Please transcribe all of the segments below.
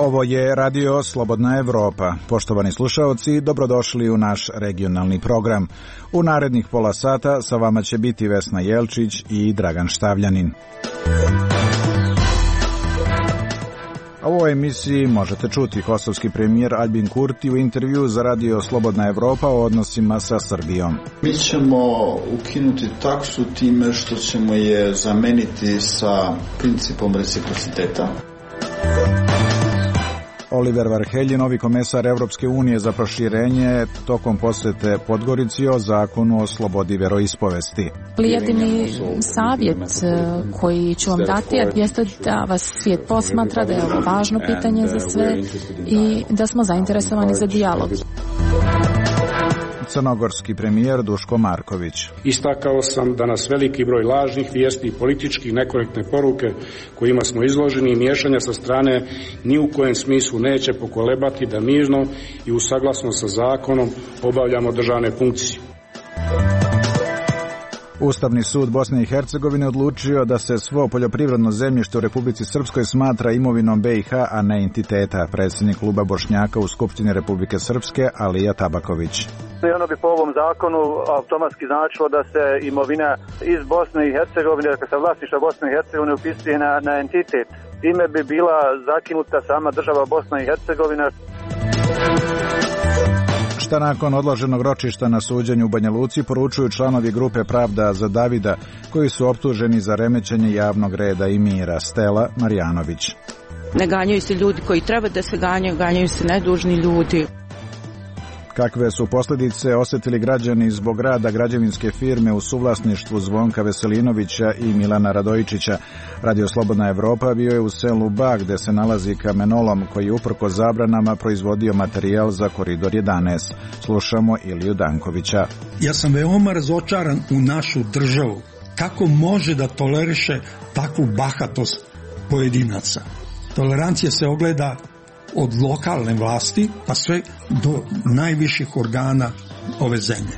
Ovo je Radio Slobodna Evropa. Poštovani slušaoci, dobrodošli u naš regionalni program. U narednih pola sata sa vama će biti Vesna Jelčić i Dragan Štavljanin. U ovoj emisiji možete čuti kosovski premijer Aljbin Kurti u intervju za Radio Slobodna Evropa o odnosima sa Srbijom. Mi ćemo ukinuti taksu time što ćemo je zameniti sa principom reciprociteta. Oliver Varhelji, novi komesar Evropske unije za proširenje, tokom posete Podgorici o zakonu o slobodi veroispovesti. Jedini savjet koji ću vam dati jeste da vas svijet posmatra, da je ovo važno pitanje za sve i da smo zainteresovani za dijalog. Crnogorski premijer Duško Marković. Istakao sam da nas veliki broj lažnih vijesti i politički nekorektne poruke kojima smo izloženi i miješanja sa strane ni u kojem smislu neće pokolebati da mirno i u saglasnost sa zakonom obavljamo državne funkcije. Ustavni sud Bosne i Hercegovine odlučio da se svo poljoprivredno zemljište u Republici Srpskoj smatra imovinom BiH, a ne entiteta. Predsjednik kluba Bošnjaka u Skupštini Republike Srpske Alija Tabaković. I ono bi po ovom zakonu automatski značilo da se imovina iz Bosne i Hercegovine, dakle sa vlasništva Bosne i Hercegovine upisuje na entitet. Time bi bila zakinuta sama država Bosna i Hercegovina. Šta nakon odloženog ročišta na suđenju u Banja Luci poručuju članovi grupe Pravda za Davida, koji su optuženi za remećenje javnog reda i mira. Stela Marjanović. Ne ganjaju se ljudi koji treba da se ganjaju, ganjaju se nedužni ljudi. Kakve su posljedice osjetili građani zbog rada građevinske firme u suvlasništvu Zvonka Veselinovića i Milana Radojičića? Radio Slobodna Evropa bio je u selu Bag, gde se nalazi kamenolom koji uprkos zabranama proizvodio materijal za Koridor 11. Slušamo Iliju Dankovića. Ja sam veoma razočaran u našu državu. Kako može da toleriše takvu bahatost pojedinaca? Tolerancija se ogleda od lokalne vlasti pa sve do najviših organa ove zemlje.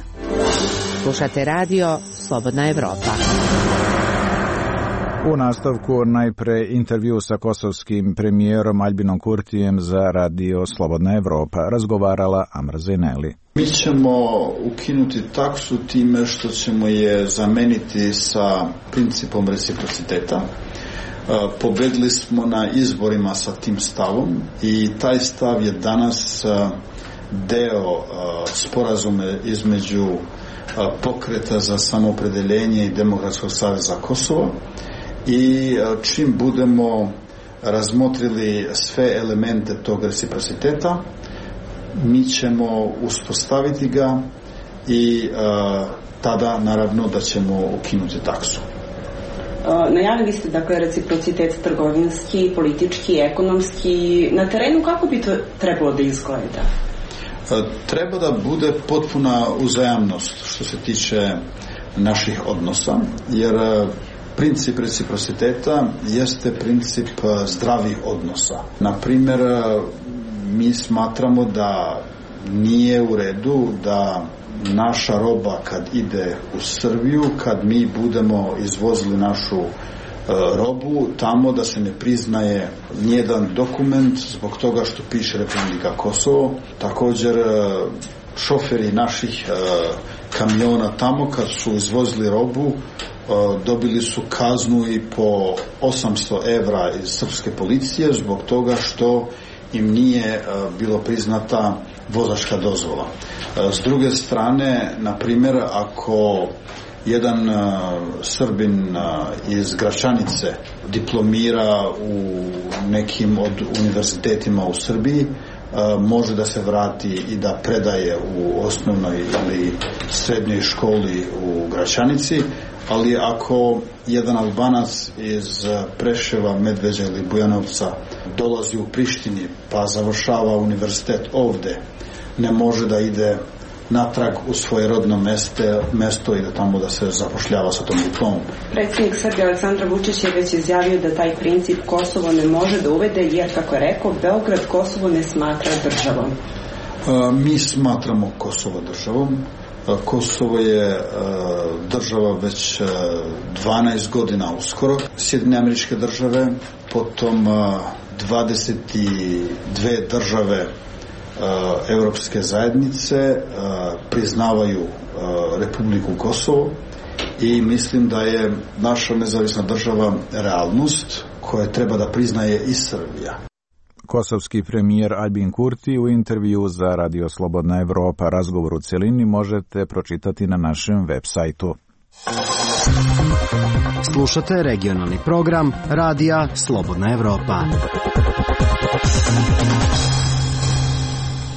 Slušate Radio Slobodna Evropa. U nastavku najpre intervju sa kosovskim premijerom Aljbinom Kurtijem za Radio Slobodna Evropa. Razgovarala Amra Zejneli. Mi ćemo ukinuti taksu time što ćemo je zameniti sa principom reciprociteta. Pobedili smo na izborima sa tim stavom i taj stav je danas deo sporazume između Pokreta za samoopredeljenje i Demokratskog saveza Kosova i čim budemo razmotrili sve elemente tog reciprociteta, mi ćemo uspostaviti ga i tada naravno da ćemo ukinuti taksu. Najavili ste dakle reciprocitet trgovinski, politički, ekonomski. Na terenu kako bi to trebalo da izgleda? Treba da bude potpuna uzajamnost što se tiče naših odnosa, jer princip reciprociteta jeste princip zdravih odnosa. Na primjer, mi smatramo da nije u redu da naša roba kad ide u Srbiju, kad mi budemo izvozili našu robu tamo, da se ne priznaje nijedan dokument zbog toga što piše Republika Kosovo. Također šoferi naših kamiona tamo kad su izvozili robu dobili su kaznu i po 800 evra iz srpske policije zbog toga što im nije bilo priznata vozačka dozvola. S druge strane, na primjer, ako jedan Srbin iz Gračanice diplomira u nekim od univerzitetima u Srbiji, može da se vrati i da predaje u osnovnoj ili srednjoj školi u Gračanici, ali ako jedan Albanac iz Preševa, Medveđa ili Bujanovca dolazi u Prištini pa završava univerzitet ovde, ne može da ide natrag u svoje rodno mesto i da tamo da se zapošljava sa tom diplomom. Predsjednik Srbije Aleksandar Vučić je već izjavio da taj princip Kosovo ne može da uvede jer, kako je rekao, Beograd Kosovo ne smatra državom. Mi smatramo Kosovo državom. Kosovo je država već 12 godina uskoro. Sjedinjene Američke Države, potom 22 države Europske zajednice priznavaju Republiku Kosovo i mislim da je naša nezavisna država realnost koja treba da priznaje i Srbija. Kosovski premijer Albin Kurti u intervju za Radio Slobodna Evropa. Razgovor u cjelini možete pročitati na našem web sajtu. Slušate regionalni program Radija Slobodna Evropa.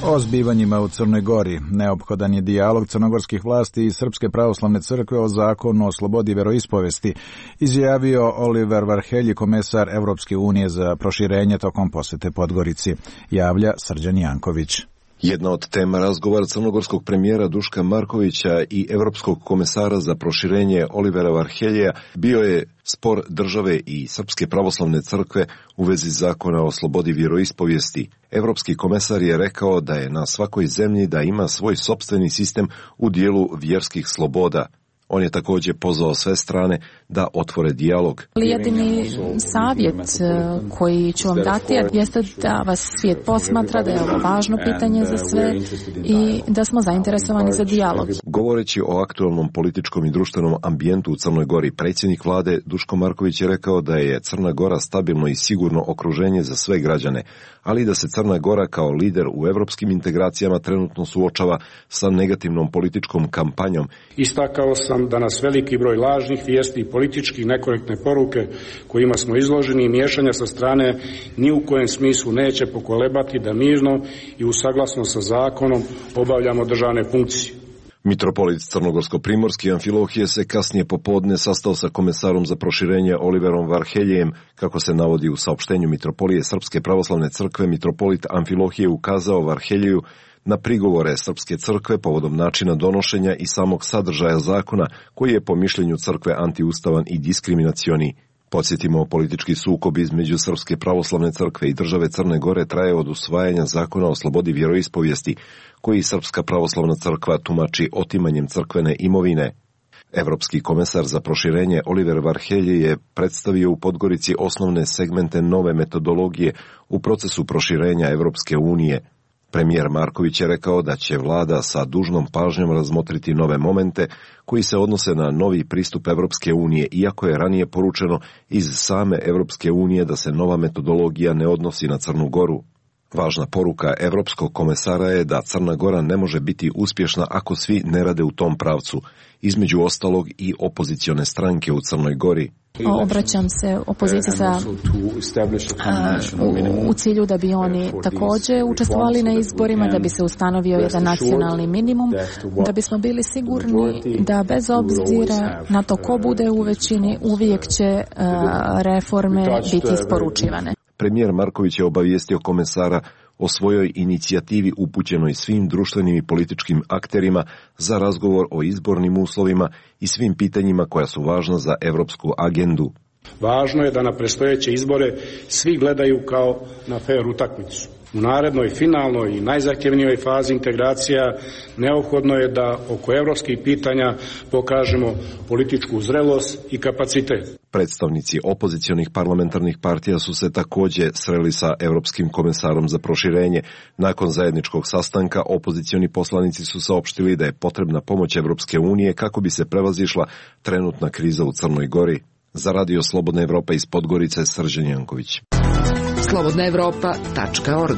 O zbivanjima u Crnoj Gori neophodan je dijalog crnogorskih vlasti i Srpske pravoslavne crkve o zakonu o slobodi veroispovesti, izjavio Oliver Varhelji, komesar Evropske unije za proširenje tokom posete Podgorici, javlja Srđan Janković. Jedna od tema razgovora crnogorskog premijera Duška Markovića i evropskog komesara za proširenje Olivera Varheljeja bio je spor države i Srpske pravoslavne crkve u vezi zakona o slobodi vjeroispovijesti. Evropski komesar je rekao da je na svakoj zemlji da ima svoj sopstveni sistem u dijelu vjerskih sloboda. On je također pozvao sve strane da otvore dijalog. Jedini savjet koji ću vam dati jeste da vas svijet posmatra, da je ovo važno pitanje za sve i da smo zainteresovani za dijalog. Govoreći o aktualnom političkom i društvenom ambijentu u Crnoj Gori, predsjednik vlade Duško Marković je rekao da je Crna Gora stabilno i sigurno okruženje za sve građane, ali da se Crna Gora kao lider u evropskim integracijama trenutno suočava sa negativnom političkom kampanjom. Istakao sam da nas veliki broj lažnih vijesti i politički nekorektne poruke kojima smo izloženi i miješanja sa strane ni u kojem smislu neće pokolebati da mirno i u saglasnost sa zakonom obavljamo državne funkcije. Mitropolit Crnogorsko-primorski Amfilohije se kasnije popodne sastao sa komesarom za proširenje Oliverom Varheljejem. Kako se navodi u saopštenju Mitropolije Srpske pravoslavne crkve, mitropolit Amfilohije ukazao Varheljeju na prigovore Srpske crkve povodom načina donošenja i samog sadržaja zakona, koji je po mišljenju crkve antiustavan i diskriminacioni. Podsjetimo, politički sukob između Srpske pravoslavne crkve i države Crne Gore traje od usvajanja zakona o slobodi vjeroispovijesti, koji Srpska pravoslavna crkva tumači otimanjem crkvene imovine. Evropski komesar za proširenje Oliver Varhelji je predstavio u Podgorici osnovne segmente nove metodologije u procesu proširenja Evropske unije. Premijer Marković je rekao da će vlada sa dužnom pažnjom razmotriti nove momente koji se odnose na novi pristup Evropske unije, iako je ranije poručeno iz same Evropske unije da se nova metodologija ne odnosi na Crnu Goru. Važna poruka Evropskog komesara je da Crna Gora ne može biti uspješna ako svi ne rade u tom pravcu, između ostalog i opozicione stranke u Crnoj Gori. Obraćam se opoziciji u cilju da bi oni također učestvovali na izborima, da bi se ustanovio jedan nacionalni minimum, da bismo bili sigurni da bez obzira na to ko bude u većini, uvijek će reforme biti isporučivane. Premijer Marković je obavijestio komesara o svojoj inicijativi upućenoj svim društvenim i političkim akterima za razgovor o izbornim uslovima i svim pitanjima koja su važna za evropsku agendu. Važno je da na predstojeće izbore svi gledaju kao na fer utakmicu. U narednoj, finalnoj i najzahtjevnijoj fazi integracija neophodno je da oko evropskih pitanja pokažemo političku zrelost i kapacitet. Predstavnici opozicionih parlamentarnih partija su se također sreli sa Evropskim komesarom za proširenje. Nakon zajedničkog sastanka opozicioni poslanici su saopštili da je potrebna pomoć Evropske unije kako bi se prevazišla trenutna kriza u Crnoj Gori. Za Radio Slobodna Evropa iz Podgorice, Srđan Janković. slobodnaevropa.org.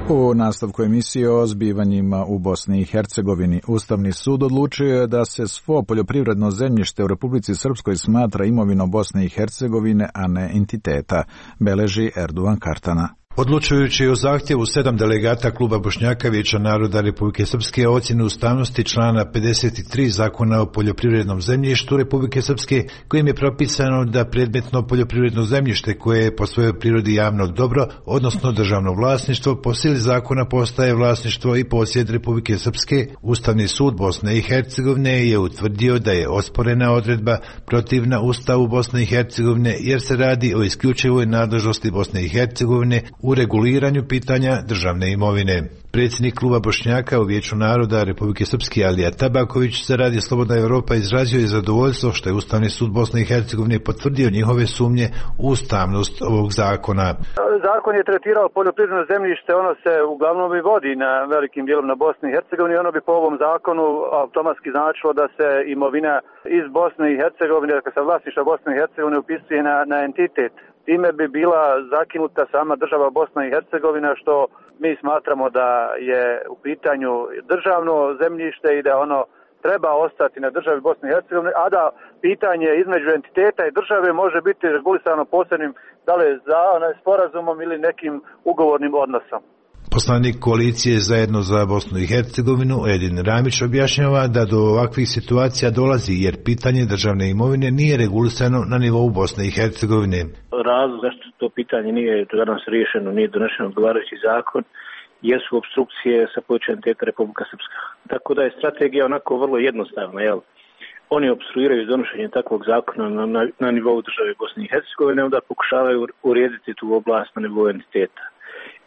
U nastavku emisije o zbivanjima u Bosni i Hercegovini, Ustavni sud odlučio je da se svo poljoprivredno zemljište u Republici Srpskoj smatra imovinom Bosne i Hercegovine, a ne entiteta, beleži Erduvan Kartana. Odlučujući o zahtjevu 7 delegata Kluba Bošnjaka Vijeća naroda Republike Srpske o ocjenu ustavnosti člana 53 Zakona o poljoprivrednom zemljištu Republike Srpske, kojim je propisano da predmetno poljoprivredno zemljište koje je po svojoj prirodi javno dobro, odnosno državno vlasništvo, po sili zakona postaje vlasništvo i posjed Republike Srpske, Ustavni sud Bosne i Hercegovine je utvrdio da je osporena odredba protivna Ustavu Bosne i Hercegovine jer se radi o isključivoj nadležnosti Bosne i Hercegovine u reguliranju pitanja državne imovine. Predsjednik kluba Bošnjaka u Vijeću naroda Republike Srpske Alija Tabaković za Radio Slobodna Evropa izrazio je zadovoljstvo što je Ustavni sud Bosne i Hercegovine potvrdio njihove sumnje u ustavnost ovog zakona. Zakon je tretirao poljoprivredno zemljište, ono se uglavnom i vodi na velikim dijelom na Bosni i Hercegovini, ono bi po ovom zakonu automatski značilo da se imovina iz Bosne i Hercegovine, dakle sa vlasništva Bosne i Hercegovine upisuje na entitet. Time bi bila zakinuta sama država Bosna i Hercegovina, što mi smatramo da je u pitanju državno zemljište i da ono treba ostati na državi Bosne i Hercegovine, a da pitanje između entiteta i države može biti regulisano posebnim, da li sporazumom ili nekim ugovornim odnosom. Poslanik koalicije Zajedno za Bosnu i Hercegovinu Edin Ramić objašnjava da do ovakvih situacija dolazi jer pitanje državne imovine nije regulisano na nivou Bosne i Hercegovine. Razlog zašto to pitanje nije danas riješeno, nije donešen odgovarajući zakon, jesu opstrukcije sa područja entiteta Republika Srpska. Tako da je strategija onako vrlo jednostavna, jel? Oni opstruiraju donošenje takvog zakona na nivou države Bosne i Hercegovine, onda pokušavaju urediti tu oblast na nivou entiteta.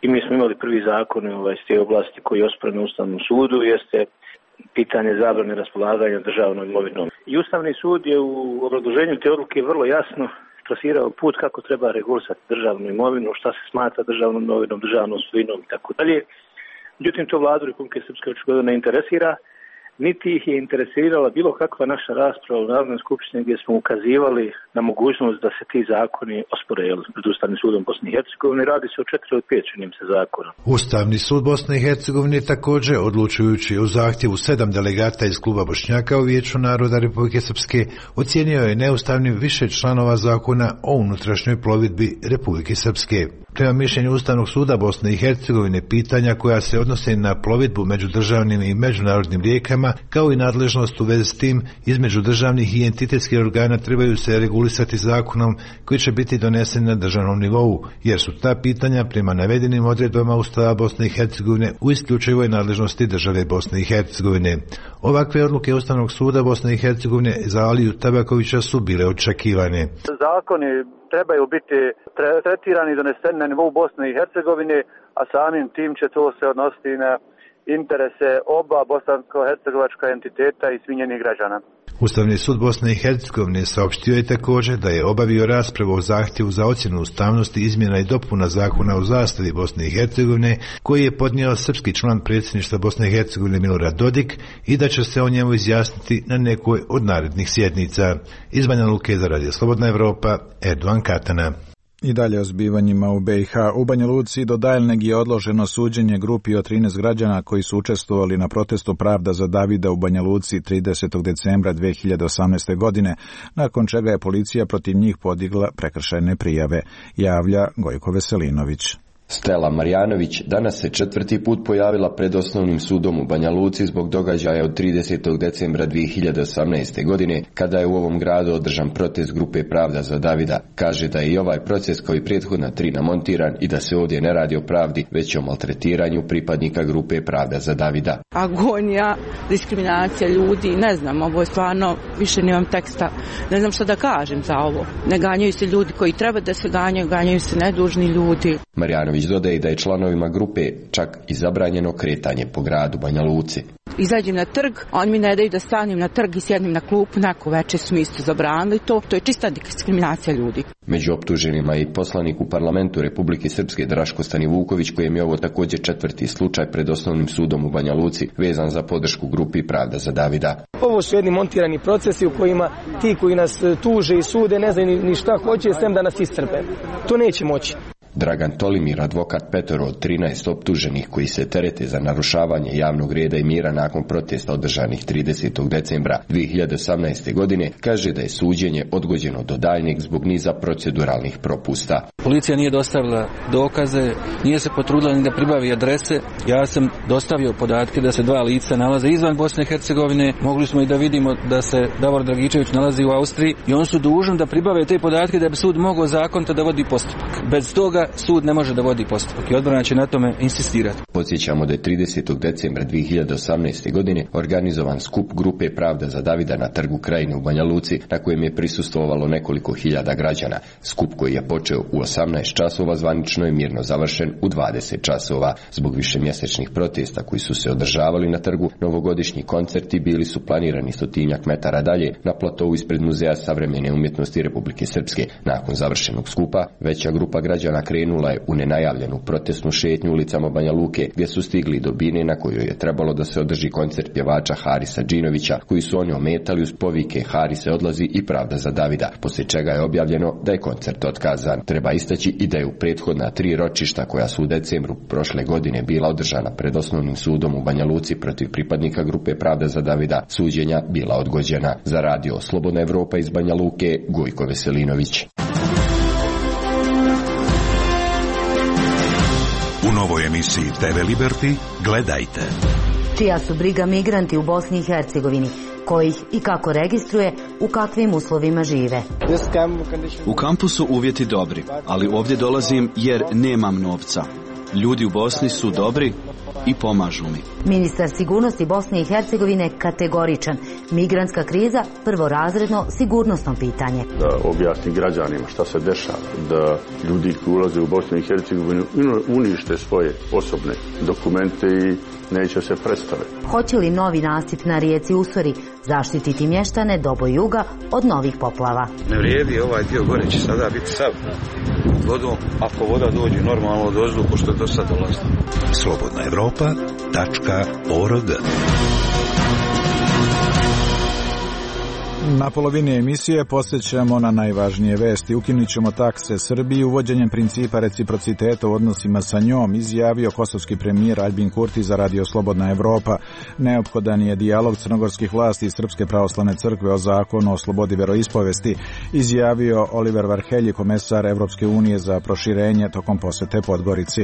I mi smo imali prvi zakon iz te oblasti koji je osporen u Ustavnom sudu, jeste pitanje zabrane raspolaganja državnom imovinom. I Ustavni sud je u obrazloženju te odluke vrlo jasno trasirao put kako treba regulisati državnu imovinu, šta se smatra državnom imovinom, državnom svojinom i tako dalje. Međutim, to vladu Republike Srpske očigledno ne interesira, niti ih je interesirala bilo kakva naša rasprava u Narodnoj skupštini gdje smo ukazivali na mogućnost da se ti zakoni ospore pred Ustavnim sudom Bosne i Hercegovine. Radi se o 4 od 5 činim se zakona. Ustavni sud Bosne i Hercegovine također, odlučujući o zahtjevu 7 delegata iz kluba Bošnjaka u Vijeću naroda Republike Srpske, ocijenio je neustavnim više članova zakona o unutrašnjoj plovidbi Republike Srpske. Prema mišljenju Ustavnog suda Bosne i Hercegovine, pitanja koja se odnose na plovidbu među državnim i međunarodnim rijekama, kao i nadležnost u vezi s tim između državnih i entitetskih organa trebaju se regulisati zakonom koji će biti donesen na državnom nivou, jer su ta pitanja prema navedenim odredbama Ustava Bosne i Hercegovine u isključivoj nadležnosti države Bosne i Hercegovine. Ovakve odluke Ustavnog suda Bosne i Hercegovine za Aliju Tabakovića su bile očekivane. Zakoni trebaju biti tretirani i doneseni na nivou Bosne i Hercegovine, a samim tim će to se odnositi na interese oba bosansko-hercegovačka entiteta i svih njenih građana. Ustavni sud Bosne i Hercegovine saopštio je također da je obavio raspravu o zahtjevu za ocjenu ustavnosti izmjena i dopuna zakona o zastavi Bosne i Hercegovine koji je podnio srpski član predsjedništva Bosne i Hercegovine Milorad Dodik i da će se o njemu izjasniti na nekoj od narednih sjednica. Iz Banja Luke za Radio Slobodna Evropa, Erdogan Katana. I dalje o zbivanjima u BiH. U Banja Luci do daljnjeg je odloženo suđenje grupi od 13 građana koji su učestvovali na protestu Pravda za Davida u Banja Luci 30. decembra 2018. godine, nakon čega je policija protiv njih podigla prekršajne prijave, javlja Gojko Veselinović. Stela Marjanović danas se 4. put pojavila pred Osnovnim sudom u Banja Luci zbog događaja od 30. decembra 2018. godine, kada je u ovom gradu održan protest grupe Pravda za Davida. Kaže da je i ovaj proces kao i prethodna 3 namontiran i da se ovdje ne radi o pravdi, već o maltretiranju pripadnika grupe Pravda za Davida. Agonija, diskriminacija ljudi, ne znam, ovo je stvarno, više nemam teksta, ne znam što da kažem za ovo. Ne ganjaju se ljudi koji treba da se ganjaju, ganjaju se nedužni ljudi. Marjanović dodaje da je članovima grupe čak i zabranjeno kretanje po gradu Banja Luci. Izađem na trg, oni mi ne daju da stanem na trg i sjednem na klupu, neko večer su mi isto zabranili to je čista diskriminacija ljudi. Među optuženima je i poslanik u parlamentu Republike Srpske Draško Stanivuković, kojem je ovo također 4. slučaj pred Osnovnim sudom u Banja Luci vezan za podršku grupi Pravda za Davida. Ovo su jedni montirani procesi u kojima ti koji nas tuže i sude ne znaju ni šta hoće, sem da nas iscrpe. To neće moći. Dragan Tolimir, advokat petoro od 13 optuženih koji se terete za narušavanje javnog reda i mira nakon protesta održanih 30. decembra 2018. godine, kaže da je suđenje odgođeno do daljnjeg zbog niza proceduralnih propusta. Policija nije dostavila dokaze, nije se potrudila ni da pribavi adrese. Ja sam dostavio podatke da se 2 lica nalaze izvan Bosne i Hercegovine. Mogli smo i da vidimo da se Davor Dragičević nalazi u Austriji i oni su dužni da pribave te podatke da bi sud mogao zakonito da vodi postupak. Bez toga sud ne može da vodi postupak i odbrana će na tome insistirati. Podsjećamo da je 30. decembra 2018. godine organizovan skup grupe Pravda za Davida na trgu Krajine u Banja Luci, na kojem je prisustvovalo nekoliko hiljada građana. Skup koji je počeo u 18 časova zvanično je mirno završen u 20 časova. Zbog višemjesečnih protesta koji su se održavali na trgu, novogodišnji koncerti bili su planirani 100 metara dalje na platovu ispred Muzeja savremene umjetnosti Republike Srpske. Nakon završenog skupa, veća grupa građana krenula je u nenajavljenu protestnu šetnju ulicama Banja Luke, gdje su stigli do bine na kojoj je trebalo da se održi koncert pjevača Harisa Džinovića, koji su oni ometali uz povike Harise odlazi i pravda za Davida, poslije čega je objavljeno da je koncert otkazan. Treba istaći i da je u prethodna 3 ročišta koja su u decembru prošle godine bila održana pred osnovnim sudom u Banja Luci protiv pripadnika grupe Pravda za Davida, suđenja bila odgođena. Za radio Slobodna Evropa iz Banja Luke, Gojko Veselinović. U novoj emisiji TV Liberty gledajte. Čija su briga migranti u Bosni i Hercegovini, kojih i kako registruje, u kakvim uslovima žive. U kampu su uvjeti dobri, ali ovdje dolazim jer nemam novca. Ljudi u Bosni su dobri i pomažu mi. Ministar sigurnosti Bosne i Hercegovine kategoričan. Migrantska kriza prvorazredno sigurnosno pitanje. Da objasni građanima šta se dešava, da ljudi koji ulaze u Bosnu i Hercegovinu unište svoje osobne dokumente i neće se predstaviti. Hoće li novi nasip na rijeci Usori zaštititi mještane Dobo juga od novih poplava? Ne vrijedi, ovaj dio gore će sada biti sav vodom, ako voda dođe normalno od ozdu, pošto je do sad dolazilo. slobodnaevropa.org. Na polovini emisije posjećamo na najvažnije vesti. Ukinut ćemo takse Srbiji uvođenjem principa reciprociteta u odnosima sa njom, izjavio kosovski premijer Aljbin Kurti za radio Slobodna Evropa. Neophodan je dijalog crnogorskih vlasti i Srpske pravoslavne crkve o zakonu o slobodi veroispovesti, izjavio Oliver Varhelji, komesar Evropske unije za proširenje tokom posjete Podgorici.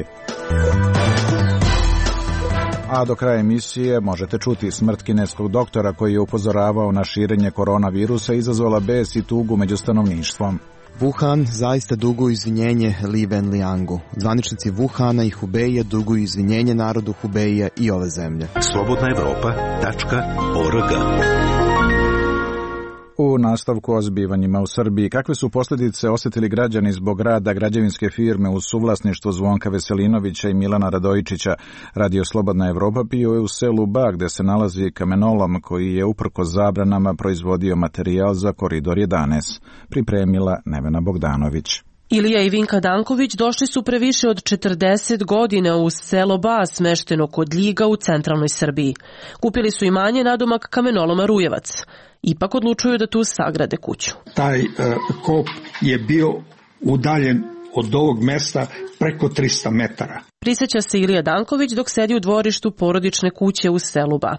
A do kraja emisije možete čuti smrt kineskog doktora koji je upozoravao na širenje koronavirusa, izazvala bes i tugu među stanovništvom. Wuhan zaista duguju izvinjenje Li Wenliangu. Zvaničnici Wuhana i Hubeija duguju izvinjenje narodu Hubeija i ove zemlje. slobodnaevropa.org. U nastavku o zbivanjima u Srbiji, kakve su posljedice osjetili građani zbog rada građevinske firme u suvlasništvu Zvonka Veselinovića i Milana Radojičića? Radio Slobodna Evropa bio je u selu Ba, gde se nalazi kamenolom koji je uprkos zabranama proizvodio materijal za Koridor 11. Pripremila Nevena Bogdanović. Ilija i Vinka Danković došli su pre više od 40 godina u selo Ba, smešteno kod Ljiga u centralnoj Srbiji. Kupili su imanje nadomak kamenoloma Rujevac. Ipak odlučuju da tu sagrade kuću. Taj kop je bio udaljen od ovog mesta preko 300 metara. Prisjeća se Ilija Danković dok sedi u dvorištu porodične kuće u selu Ba.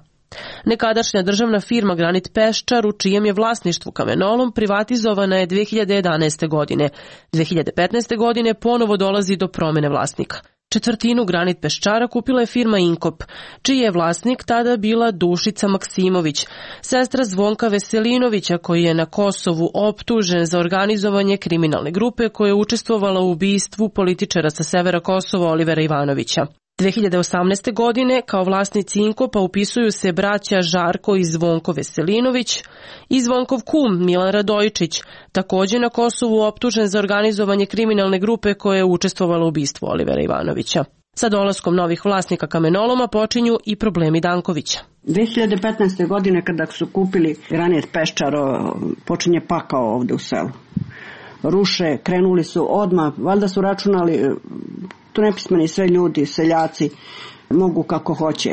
Nekadašnja državna firma Granit Peščar, u čijem je vlasništvu kamenolom, privatizovana je 2011. godine. 2015. godine ponovo dolazi do promjene vlasnika. Četvrtinu Granit Peščara kupila je firma Inkop, čiji je vlasnik tada bila Dušica Maksimović, sestra Zvonka Veselinovića, koji je na Kosovu optužen za organizovanje kriminalne grupe koja je učestvovala u ubistvu političara sa severa Kosova Olivera Ivanovića. 2018. godine kao vlasnici Inkopa upisuju se braća Žarko i Zvonko Veselinović i Zvonkov kum Milan Radojičić, također na Kosovu optužen za organizovanje kriminalne grupe koja je učestvovala u ubistvu Olivera Ivanovića. Sa dolaskom novih vlasnika kamenoloma počinju i problemi Dankovića. 2015. godine kada su kupili Granit Peščar, počinje pakao ovdje u selu. Ruše, krenuli su odmah, valjda su računali, tu nepismeni sve ljudi, seljaci, mogu kako hoće.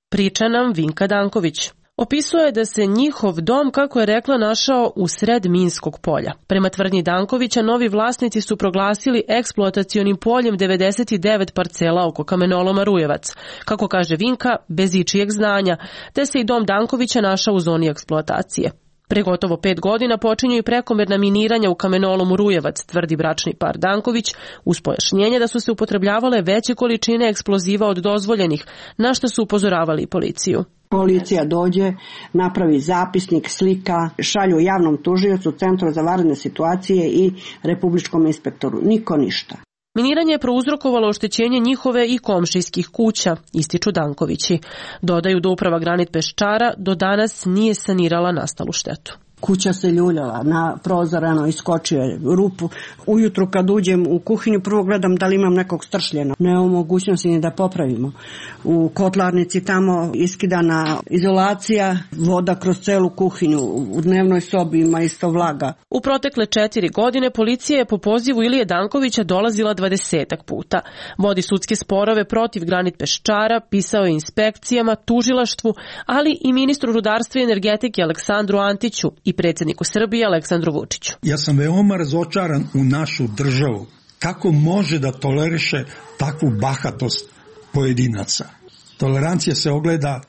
Priča nam Vinka Danković. Opisuje da se njihov dom, kako je rekla, našao u sred minskog polja. Prema tvrdnji Dankovića, novi vlasnici su proglasili eksploatacionim poljem 99 parcela oko kamenoloma Rujevac. Kako kaže Vinka, bez ičijeg znanja, te se i dom Dankovića našao u zoni eksploatacije. Pre gotovo 5 godina počinju i prekomerna miniranja u kamenolomu Rujevac, tvrdi bračni par Danković, uz pojašnjenje da su se upotrebljavale veće količine eksploziva od dozvoljenih, na što su upozoravali i policiju. Policija dođe, napravi zapisnik, slika, šalju javnom tužiocu, Centru za vanredne situacije i republičkom inspektoru. Niko ništa. Miniranje je prouzrokovalo oštećenje njihove i komšijskih kuća, ističu Dankovići. Dodaju da uprava Granit Peščara do danas nije sanirala nastalu štetu. Kuća se ljuljala, na prozor iskočio je rupu. Ujutru kad uđem u kuhinju prvo gledam da li imam nekog stršljena. Nema mogućnosti ni da popravimo. U kotlarnici tamo iskidana izolacija, voda kroz celu kuhinju, u dnevnoj sobi ima isto vlaga. U protekle 4 godine policija je po pozivu Ilije Dankovića dolazila 20 puta. Vodi sudske sporove protiv Granit Peščara, pisao je inspekcijama, tužilaštvu, ali i ministru rudarstva i energetike Aleksandru Antiću i predsjedniku Srbije Aleksandru Vučiću. Ja sam veoma razočaran u našu državu. Kako može da toleriše takvu bahatost pojedinaca? Tolerancija se ogleda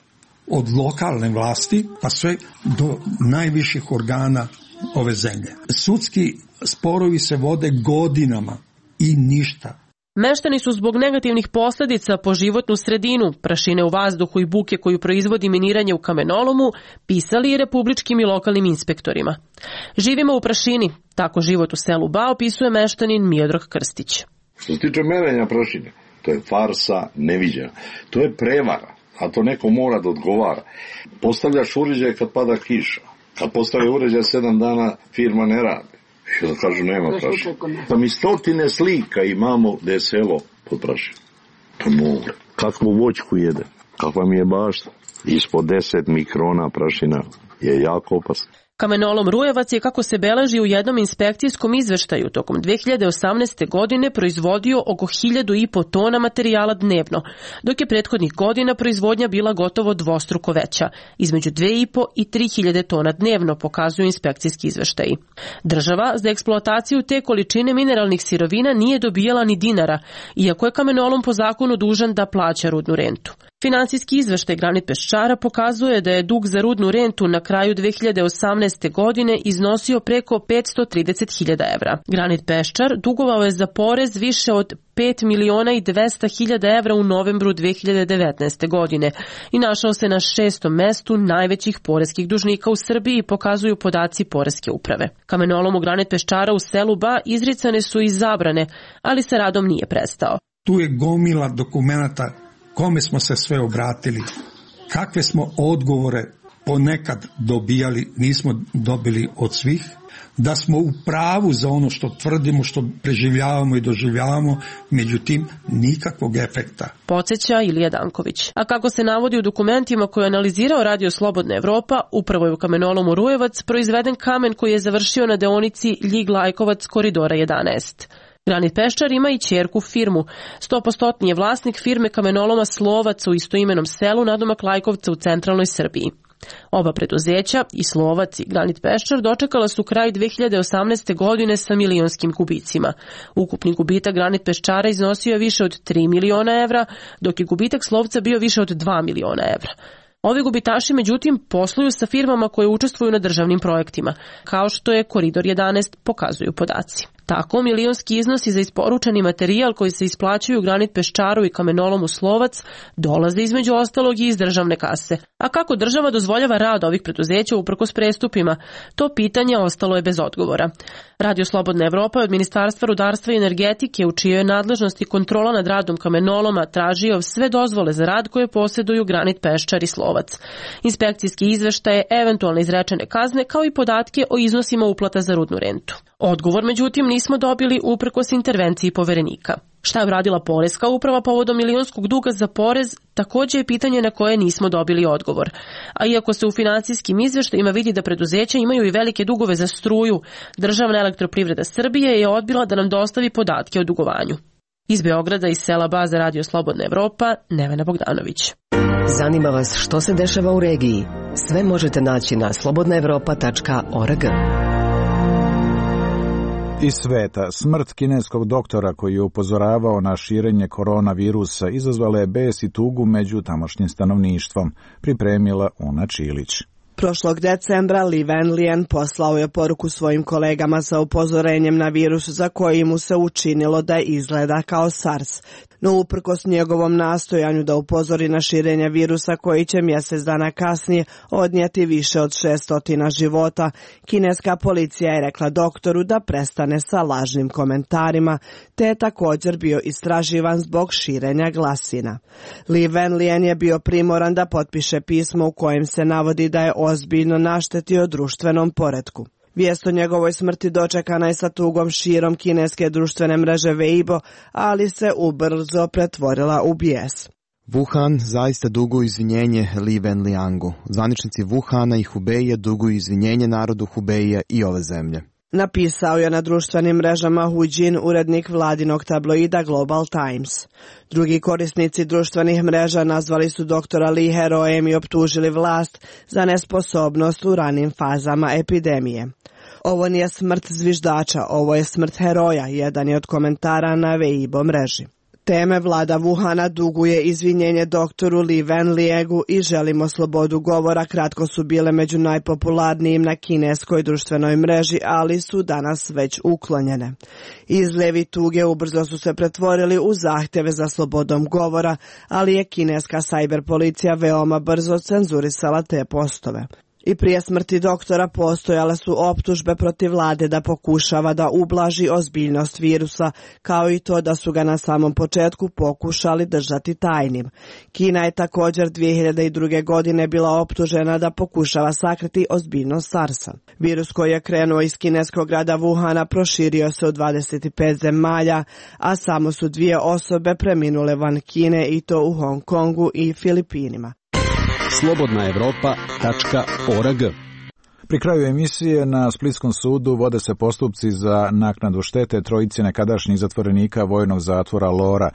od lokalne vlasti pa sve do najviših organa ove zemlje. Sudski sporovi se vode godinama i ništa. Meštani su zbog negativnih posljedica po životnu sredinu, prašine u vazduhu i buke koju proizvodi miniranje u kamenolomu, pisali i republičkim i lokalnim inspektorima. Živimo u prašini, tako život u selu Ba opisuje meštanin Miodrag Krstić. Što se tiče merenja prašine, to je farsa neviđena. To je prevara, a to neko mora da odgovara. Postavljaš uređaj kad pada kiša. Kad postavi uređaj 7 dana, firma ne radi. I da kažu nema prašine. Pa mi 100 slika imamo da je selo pod prašinom. To je more. Kakvu voćku jede, kakva mi je bašta. Ispod 10 mikrona prašina je jako opasna. Kamenolom Rujevac je, kako se beleži u jednom inspekcijskom izveštaju, tokom 2018. godine proizvodio oko 1.500 tona materijala dnevno, dok je prethodnih godina proizvodnja bila gotovo dvostruko veća, između 2.500 i 3.000 tona dnevno, pokazuju inspekcijski izveštaji. Država za eksploataciju te količine mineralnih sirovina nije dobijala ni dinara, iako je kamenolom po zakonu dužan da plaća rudnu rentu. Finansijski izveštaj Granit Peščara pokazuje da je dug za rudnu rentu na kraju 2018. godine iznosio preko 530.000 evra. Granit Peščar dugovao je za porez više od 5.200.000 evra u novembru 2019. godine i našao se na 6. mestu najvećih poreskih dužnika u Srbiji, pokazuju podaci poreske uprave. Kamenolomu Granit Peščara u selu Ba izricane su i zabrane, ali sa radom nije prestao. Tu je gomila dokumenata kome smo se sve obratili, kakve smo odgovore ponekad dobijali, nismo dobili od svih, da smo u pravu za ono što tvrdimo, što preživljavamo i doživljavamo, međutim nikakvog efekta. Podsjeća Ilija Danković. A kako se navodi u dokumentima koje je analizirao Radio Slobodna Evropa, upravo je u kamenolomu Rujevac proizveden kamen koji je završio na deonici Ljig-Lajkovac koridora 11. Granit Peščar ima i ćerku firmu. 100% je vlasnik firme kamenoloma Slovac u istoimenom selu nadomak Lajkovca u centralnoj Srbiji. Oba preduzeća, i Slovac i Granit Peščar, dočekala su kraj 2018. godine sa milionskim gubicima. Ukupni gubitak Granit Peščara iznosio je više od 3 miliona evra, dok je gubitak Slovca bio više od 2 miliona evra. Ovi gubitaši, međutim, posluju sa firmama koje učestvuju na državnim projektima, kao što je Koridor 11, pokazuju podaci. Tako, milionski iznosi za isporučeni materijal koji se isplaćuju Granit Peščaru i kamenolomu Slovac dolaze između ostalog i iz državne kase. A kako država dozvoljava rad ovih preduzeća uprkos prestupima? To pitanje ostalo je bez odgovora. Radio Slobodna Evropa je od Ministarstva rudarstva i energetike, u čijoj je nadležnosti kontrola nad radom kamenoloma, tražio sve dozvole za rad koje posjeduju Granit Peščar i Slovac. Inspekcijski izveštaje, eventualne izrečene kazne, kao i podatke o iznosima uplata za rudnu rentu. Odgovor, međutim, nismo dobili uprkos intervenciji poverenika. Šta je uradila poreska uprava povodom milionskog duga za porez, također je pitanje na koje nismo dobili odgovor. A iako se u financijskim izveštajima vidi da preduzeća imaju i velike dugove za struju, Državna elektroprivreda Srbije je odbila da nam dostavi podatke o dugovanju. Iz Beograda, iz sela Ba za Radio Slobodna Evropa, Nevena Bogdanović. Zanima vas što se dešava u regiji? Sve možete naći na slobodnaevropa.org. Iz sveta, smrt kineskog doktora koji je upozoravao na širenje koronavirusa izazvala je bes i tugu među tamošnjim stanovništvom, pripremila Una Čilić. Prošlog decembra Li Wenlian poslao je poruku svojim kolegama sa upozorenjem na virus za koji mu se učinilo da izgleda kao SARS. No uprkos njegovom nastojanju da upozori na širenje virusa koji će mjesec dana kasnije odnijeti više od 600 života, kineska policija je rekla doktoru da prestane sa lažnim komentarima, te je također bio istraživan zbog širenja glasina. Li Wenlian je bio primoran da potpiše pismo u kojem se navodi da je ozbiljno naštetio društvenom poretku. Vijest o njegovoj smrti dočekana je sa tugom širom kineske društvene mreže Weibo, ali se ubrzo pretvorila u bijes. Wuhan zaista duguje izvinjenje Li Wenliangu. Zvaničnici Wuhana i Hubeija duguju izvinjenje narodu Hubeija i ove zemlje. Napisao je na društvenim mrežama Hu Jin, urednik vladinog tabloida Global Times. Drugi korisnici društvenih mreža nazvali su doktora Li herojem i optužili vlast za nesposobnost u ranim fazama epidemije. Ovo nije smrt zviždača, ovo je smrt heroja, jedan je od komentara na Weibo mreži. Teme vlada Wuhana duguje izvinjenje doktoru Li Wenliangu i želimo slobodu govora kratko su bile među najpopularnijim na kineskoj društvenoj mreži, ali su danas već uklonjene. Izljevi tuge ubrzo su se pretvorili u zahtjeve za slobodom govora, ali je kineska cyber policija veoma brzo cenzurisala te postove. I prije smrti doktora postojale su optužbe protiv vlade da pokušava da ublaži ozbiljnost virusa, kao i to da su ga na samom početku pokušali držati tajnim. Kina je također 2002. godine bila optužena da pokušava sakriti ozbiljnost SARS-a. Virus koji je krenuo iz kineskog grada Wuhana proširio se u 25 zemalja, a samo su 2 osobe preminule van Kine i to u Hong Kongu i Filipinima. slobodnaevropa.org. Pri kraju emisije na Splitskom sudu vode se postupci za naknadu štete trojici nekadašnjih zatvorenika vojnog zatvora Lora,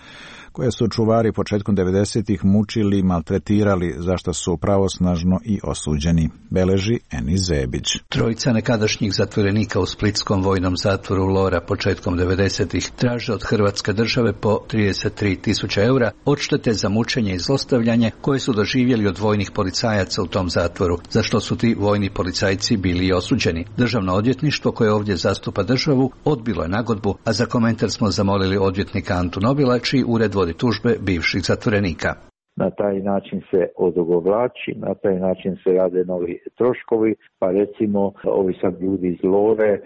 koje su čuvari početkom 90-ih mučili i maltretirali, za što su pravosnažno i osuđeni, beleži Enis Zebić. Trojica nekadašnjih zatvorenika u splitskom vojnom zatvoru Lora početkom 90-ih traže od Hrvatske države po 33.000 eura odštete za mučenje i zlostavljanje koje su doživjeli od vojnih policajaca u tom zatvoru, za što su ti vojni policajci bili osuđeni. Državno odvjetništvo koje ovdje zastupa državu odbilo je nagodbu, a za komentar smo zamolili odvjetnika Antu Nobila, čiji ured vodi tužbe bivših zatvorenika. Na taj način se odugovlači, na taj način se rade novi troškovi, pa recimo ovi sad ljudi iz Lore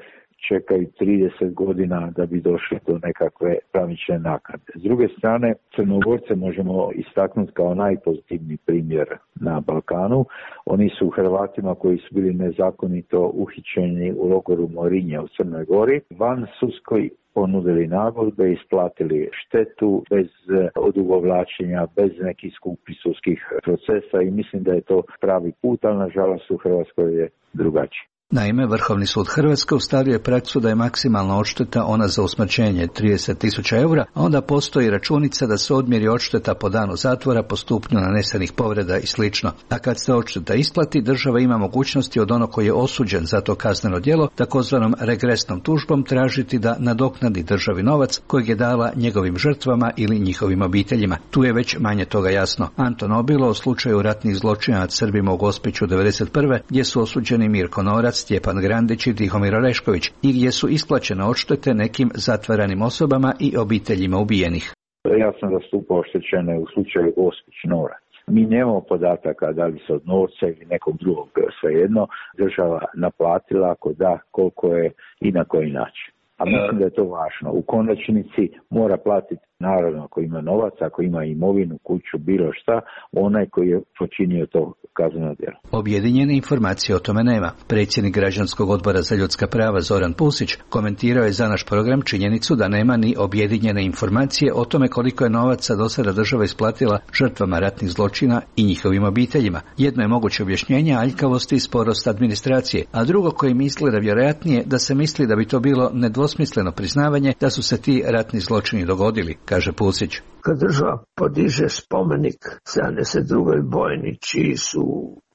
čekaju 30 godina da bi došli do nekakve pravične naknade. S druge strane, Crnogorce možemo istaknuti kao najpozitivniji primjer na Balkanu. Oni su Hrvatima koji su bili nezakonito uhićeni u logoru Morinje u Crnoj Gori van sudskoj ponudili nagodbe, isplatili štetu bez odugovlačenja, bez nekih skupih sudskih procesa i mislim da je to pravi put, ali nažalost u Hrvatskoj je drugačije. Naime, Vrhovni sud Hrvatske ustavio je praksu da je maksimalna odšteta ona za usmrćenje 30.000 eura, a onda postoji računica da se odmjeri odšteta po danu zatvora po stupnju nanesenih povreda i sl. A kad se odšteta isplati, država ima mogućnosti od onog koji je osuđen za to kazneno djelo, takozvanom regresnom tužbom tražiti da nadoknadi državi novac kojeg je dala njegovim žrtvama ili njihovim obiteljima. Tu je već manje toga jasno. Anto Nobilo o slučaju ratnih zločina nad Srbima u Gospiću 1991. gdje su osuđeni Mirko Norac, Stjepan Grandić i Tihomir Orešković i gdje su isplaćene odštete nekim zatvaranim osobama i obiteljima ubijenih. Ja sam zastupao oštećene u slučaju Gospić Norac. Mi nemamo podataka da li se od Norca ili nekog drugog, svejedno, država naplatila, ako da, koliko je i na koji način. A mislim da je to važno. U konačnici mora platiti, naravno, ako ima novac, ako ima imovinu, kuću, bilo šta, onaj koji je počinio to kazneno djelo. Objedinjene informacije o tome nema. Predsjednik Građanskog odbora za ljudska prava Zoran Pusić komentirao je za naš program činjenicu da nema ni objedinjene informacije o tome koliko je novaca do sada država isplatila žrtvama ratnih zločina i njihovim obiteljima. Jedno je moguće objašnjenje aljkavosti i sporost administracije, a drugo koje misle da vjerojatnije da se misli da bi to bilo nedvosmisleno priznavanje da su se ti ratni zločini dogodili, kaže Pusić. Kad država podiže spomenik 72. bojni čiji su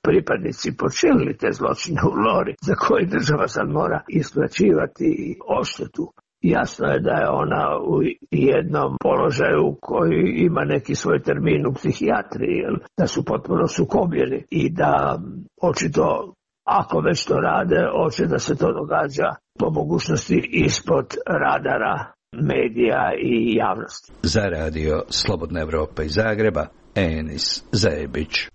pripadnici počinili te zločine u Lori, za koje država sad mora isplaćivati odštetu. Jasno je da je ona u jednom položaju koji ima neki svoj termin u psihijatriji, da su potpuno sukobljeni i da očito ako već to rade, hoće da se to događa po mogućnosti ispod radara medija i javnosti. Za radio Slobodna Evropa iz Zagreba, Enis Zebić.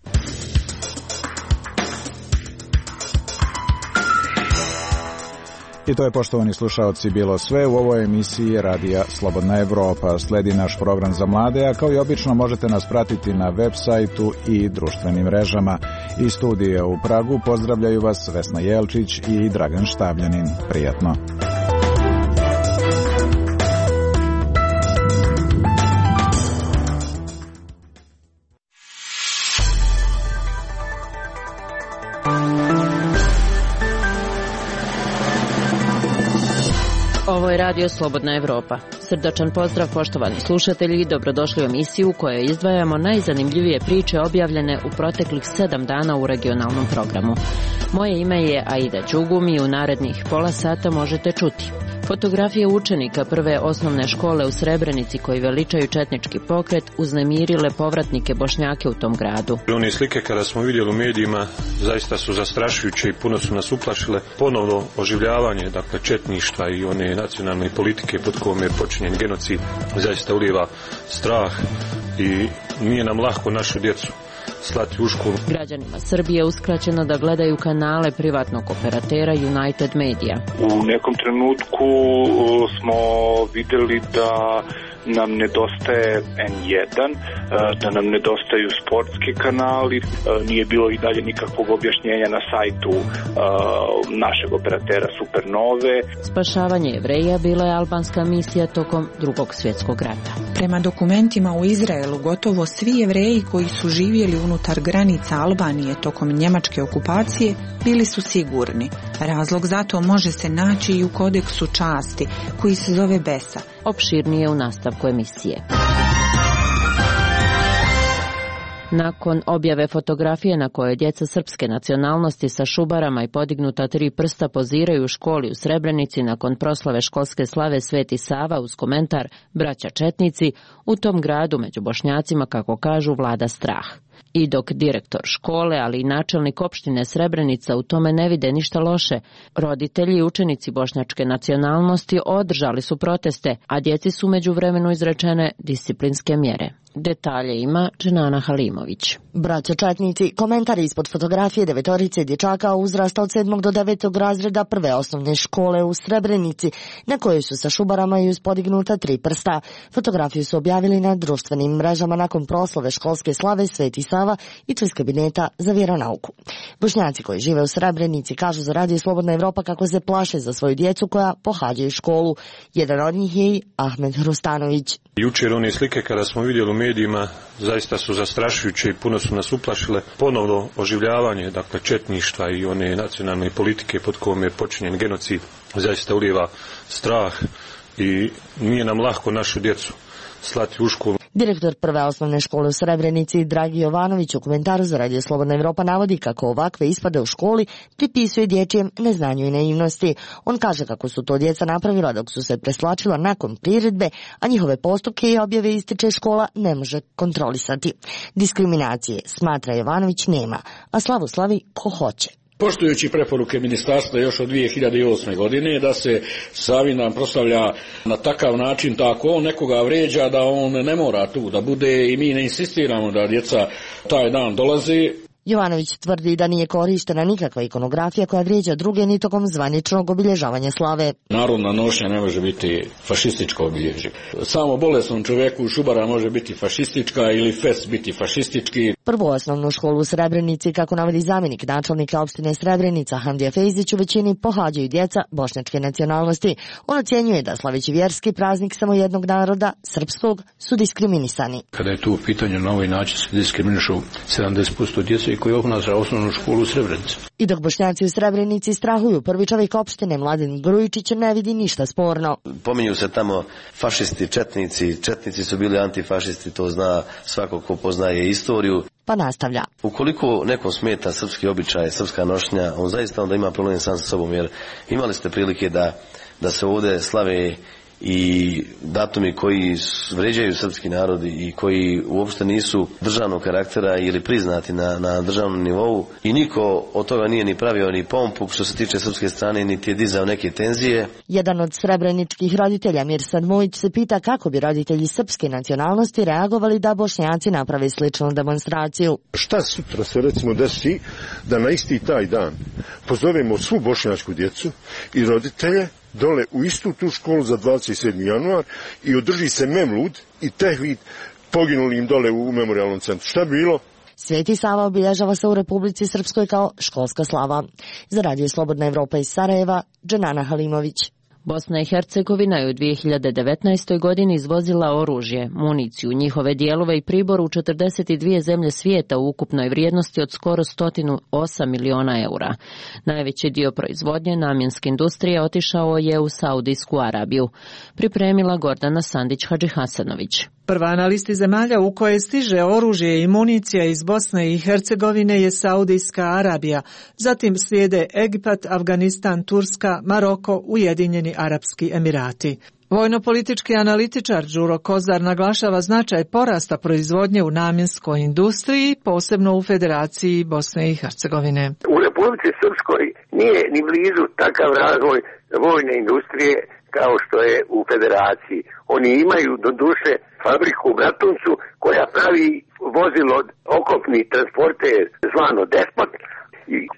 I to je, poštovani slušaoci, bilo sve u ovoj emisiji Radija Slobodna Evropa. Sledi naš program za mlade, a kao i obično možete nas pratiti na web sajtu i društvenim mrežama. Iz studija u Pragu pozdravljaju vas Vesna Jelčić i Dragan Štavljanin. Prijatno. Ovo je Radio Slobodna Evropa. Srdačan pozdrav, poštovani slušatelji, dobrodošli u emisiju u kojoj izdvajamo najzanimljivije priče objavljene u proteklih 7 dana u regionalnom programu. Moje ime je Aida Đugum i u narednih pola sata možete čuti fotografije učenika prve osnovne škole u Srebrenici koji veličaju četnički pokret uznemirile povratnike Bošnjake u tom gradu. One slike kada smo vidjeli u medijima zaista su zastrašujuće i puno su nas uplašile. Ponovno oživljavanje, dakle, četništva i one nacionalne politike pod kojom je počinjen genocid zaista ulijeva strah i nije nam lako našu djecu slati u školu. Građanima Srbije uskraćeno da gledaju kanale privatnog operatera United Media. U nekom trenutku smo vidjeli da nam nedostaje N1, da nam nedostaju sportski kanali, nije bilo i dalje nikakvog objašnjenja na sajtu našeg operatera Supernove. Spašavanje Jevreja bila je albanska misija tokom Drugog svjetskog rata. Prema dokumentima u Izraelu, gotovo svi Jevreji koji su živjeli unutar granica Albanije tokom njemačke okupacije bili su sigurni. Razlog za to može se naći i u kodeksu časti, koji se zove Besa. Opširnije u nastavku emisije. Nakon objave fotografije na kojoj djeca srpske nacionalnosti sa šubarama i podignuta 3 prsta poziraju u školi u Srebrenici nakon proslave školske slave Sveti Sava uz komentar "Braća četnici", u tom gradu među Bošnjacima, kako kažu, vlada strah. I dok direktor škole, ali i načelnik opštine Srebrenica u tome ne vide ništa loše, roditelji i učenici bošnjačke nacionalnosti održali su proteste, a djeci su međuvremenu izrečene disciplinske mjere. Detalje ima Dženana Halimović. Braća četnici, komentari ispod fotografije 9 dječaka uzrasta od 7. do 9. razreda prve osnovne škole u Srebrenici, na kojoj su sa šubarama i uz podignuta 3 prsta. Fotografiju su objavili na društvenim mrežama nakon proslave školske slave Sveti Sava i iz kabineta za vjeronauku. Bošnjaci koji žive u Srebrenici kažu za Radio Slobodna Evropa kako se plaše za svoju djecu koja pohađaju školu. Jedan od njih je i Ahmed Hrustanović. Jučer one slike kada smo vidjeli u medijima zaista su zastrašujuće i puno su nas uplašile. Ponovno oživljavanje, dakle, četništva i one nacionalne politike pod kojom je počinjen genocid zaista ulijeva strah i nije nam lako našu djecu slati u školu. Direktor prve osnovne škole u Srebrenici Dragi Jovanović u komentaru za Radio Slobodna Evropa navodi kako ovakve ispade u školi pripisuje dječjem neznanju i naivnosti. On kaže kako su to djeca napravila dok su se preslačila nakon priredbe, a njihove postupke i objave ističe škola ne može kontrolisati. Diskriminacije, smatra Jovanović, nema, a slavu slavi ko hoće. Poštujući preporuke ministarstva još od 2008. godine da se Savindan proslavlja na takav način, tako on nekoga vređa da on ne mora tu da bude i mi ne insistiramo da djeca taj dan dolaze. Jovanović tvrdi da nije korištena nikakva ikonografija koja vrijeđa druge ni tokom zvaničnog obilježavanja slave. Narodna nošnja ne može biti fašističko obilježje. Samo bolesnom čovjeku šubara može biti fašistička ili fest biti fašistički. Prvu osnovnu školu u Srebrenici, kako navodi zamjenik načelnika opštine Srebrenica Hamdija Fejzić, u većini pohađaju djeca bošnjačke nacionalnosti. On ocjenjuje da slaveći vjerski praznik samo jednog naroda, srpskog, su diskriminisani. Kada je tu u pitanju na ovaj način se diskriminišu 70% djece koji obnaša osnovnu školu u Srebrenici. I dok Bošnjaci u Srebrenici strahuju, prvi čovjek opštine Mladen Grujičić ne vidi ništa sporno. Pominju se tamo fašisti, četnici. Četnici su bili antifašisti, to zna svako ko poznaje istoriju. Pa nastavlja. Ukoliko nekom smeta srpski običaj, srpska nošnja, on zaista onda ima problem sam sa sobom, jer imali ste prilike da se ovdje slave i datumi koji vređaju srpski narod i koji uopšte nisu državnog karaktera ili priznati na državnom nivou i niko od toga nije ni pravio ni pompu što se tiče srpske strane, niti je dizao neke tenzije. Jedan od srebreničkih roditelja, Mirsad Mujić, se pita kako bi roditelji srpske nacionalnosti reagovali da Bošnjaci naprave sličnu demonstraciju. Šta sutra se recimo desi da na isti taj dan pozovemo svu bošnjačku djecu i roditelje dole u istu tu školu za 27. januar i održi se memlud i tehvid poginulim dole u memorijalnom centru. Šta bi bilo? Sveti Sava obilježava se u Republici Srpskoj kao školska slava. Za Radio Slobodna Evropa iz Sarajeva, Dženana Halimović. Bosna i Hercegovina je u 2019. godini izvozila oružje, municiju, njihove dijelove i pribor u 42 zemlje svijeta u ukupnoj vrijednosti od skoro 108 miliona eura. Najveći dio proizvodnje namjenske industrije otišao je u Saudijsku Arabiju. Pripremila Gordana Sandić-Hadžihasanović. Prva na listi zemalja u koje stiže oružje i municija iz Bosne i Hercegovine je Saudijska Arabija, zatim slijede Egipat, Afganistan, Turska, Maroko, Ujedinjeni Arapski Emirati. Vojno-politički analitičar Đuro Kozar naglašava značaj porasta proizvodnje u namjenskoj industriji, posebno u Federaciji Bosne i Hercegovine. U Republici Srpskoj nije ni blizu takav razvoj vojne industrije kao što je u Federaciji. Oni imaju do duše fabriku u Bratuncu koja pravi vozilo okopni transporter zvano Despot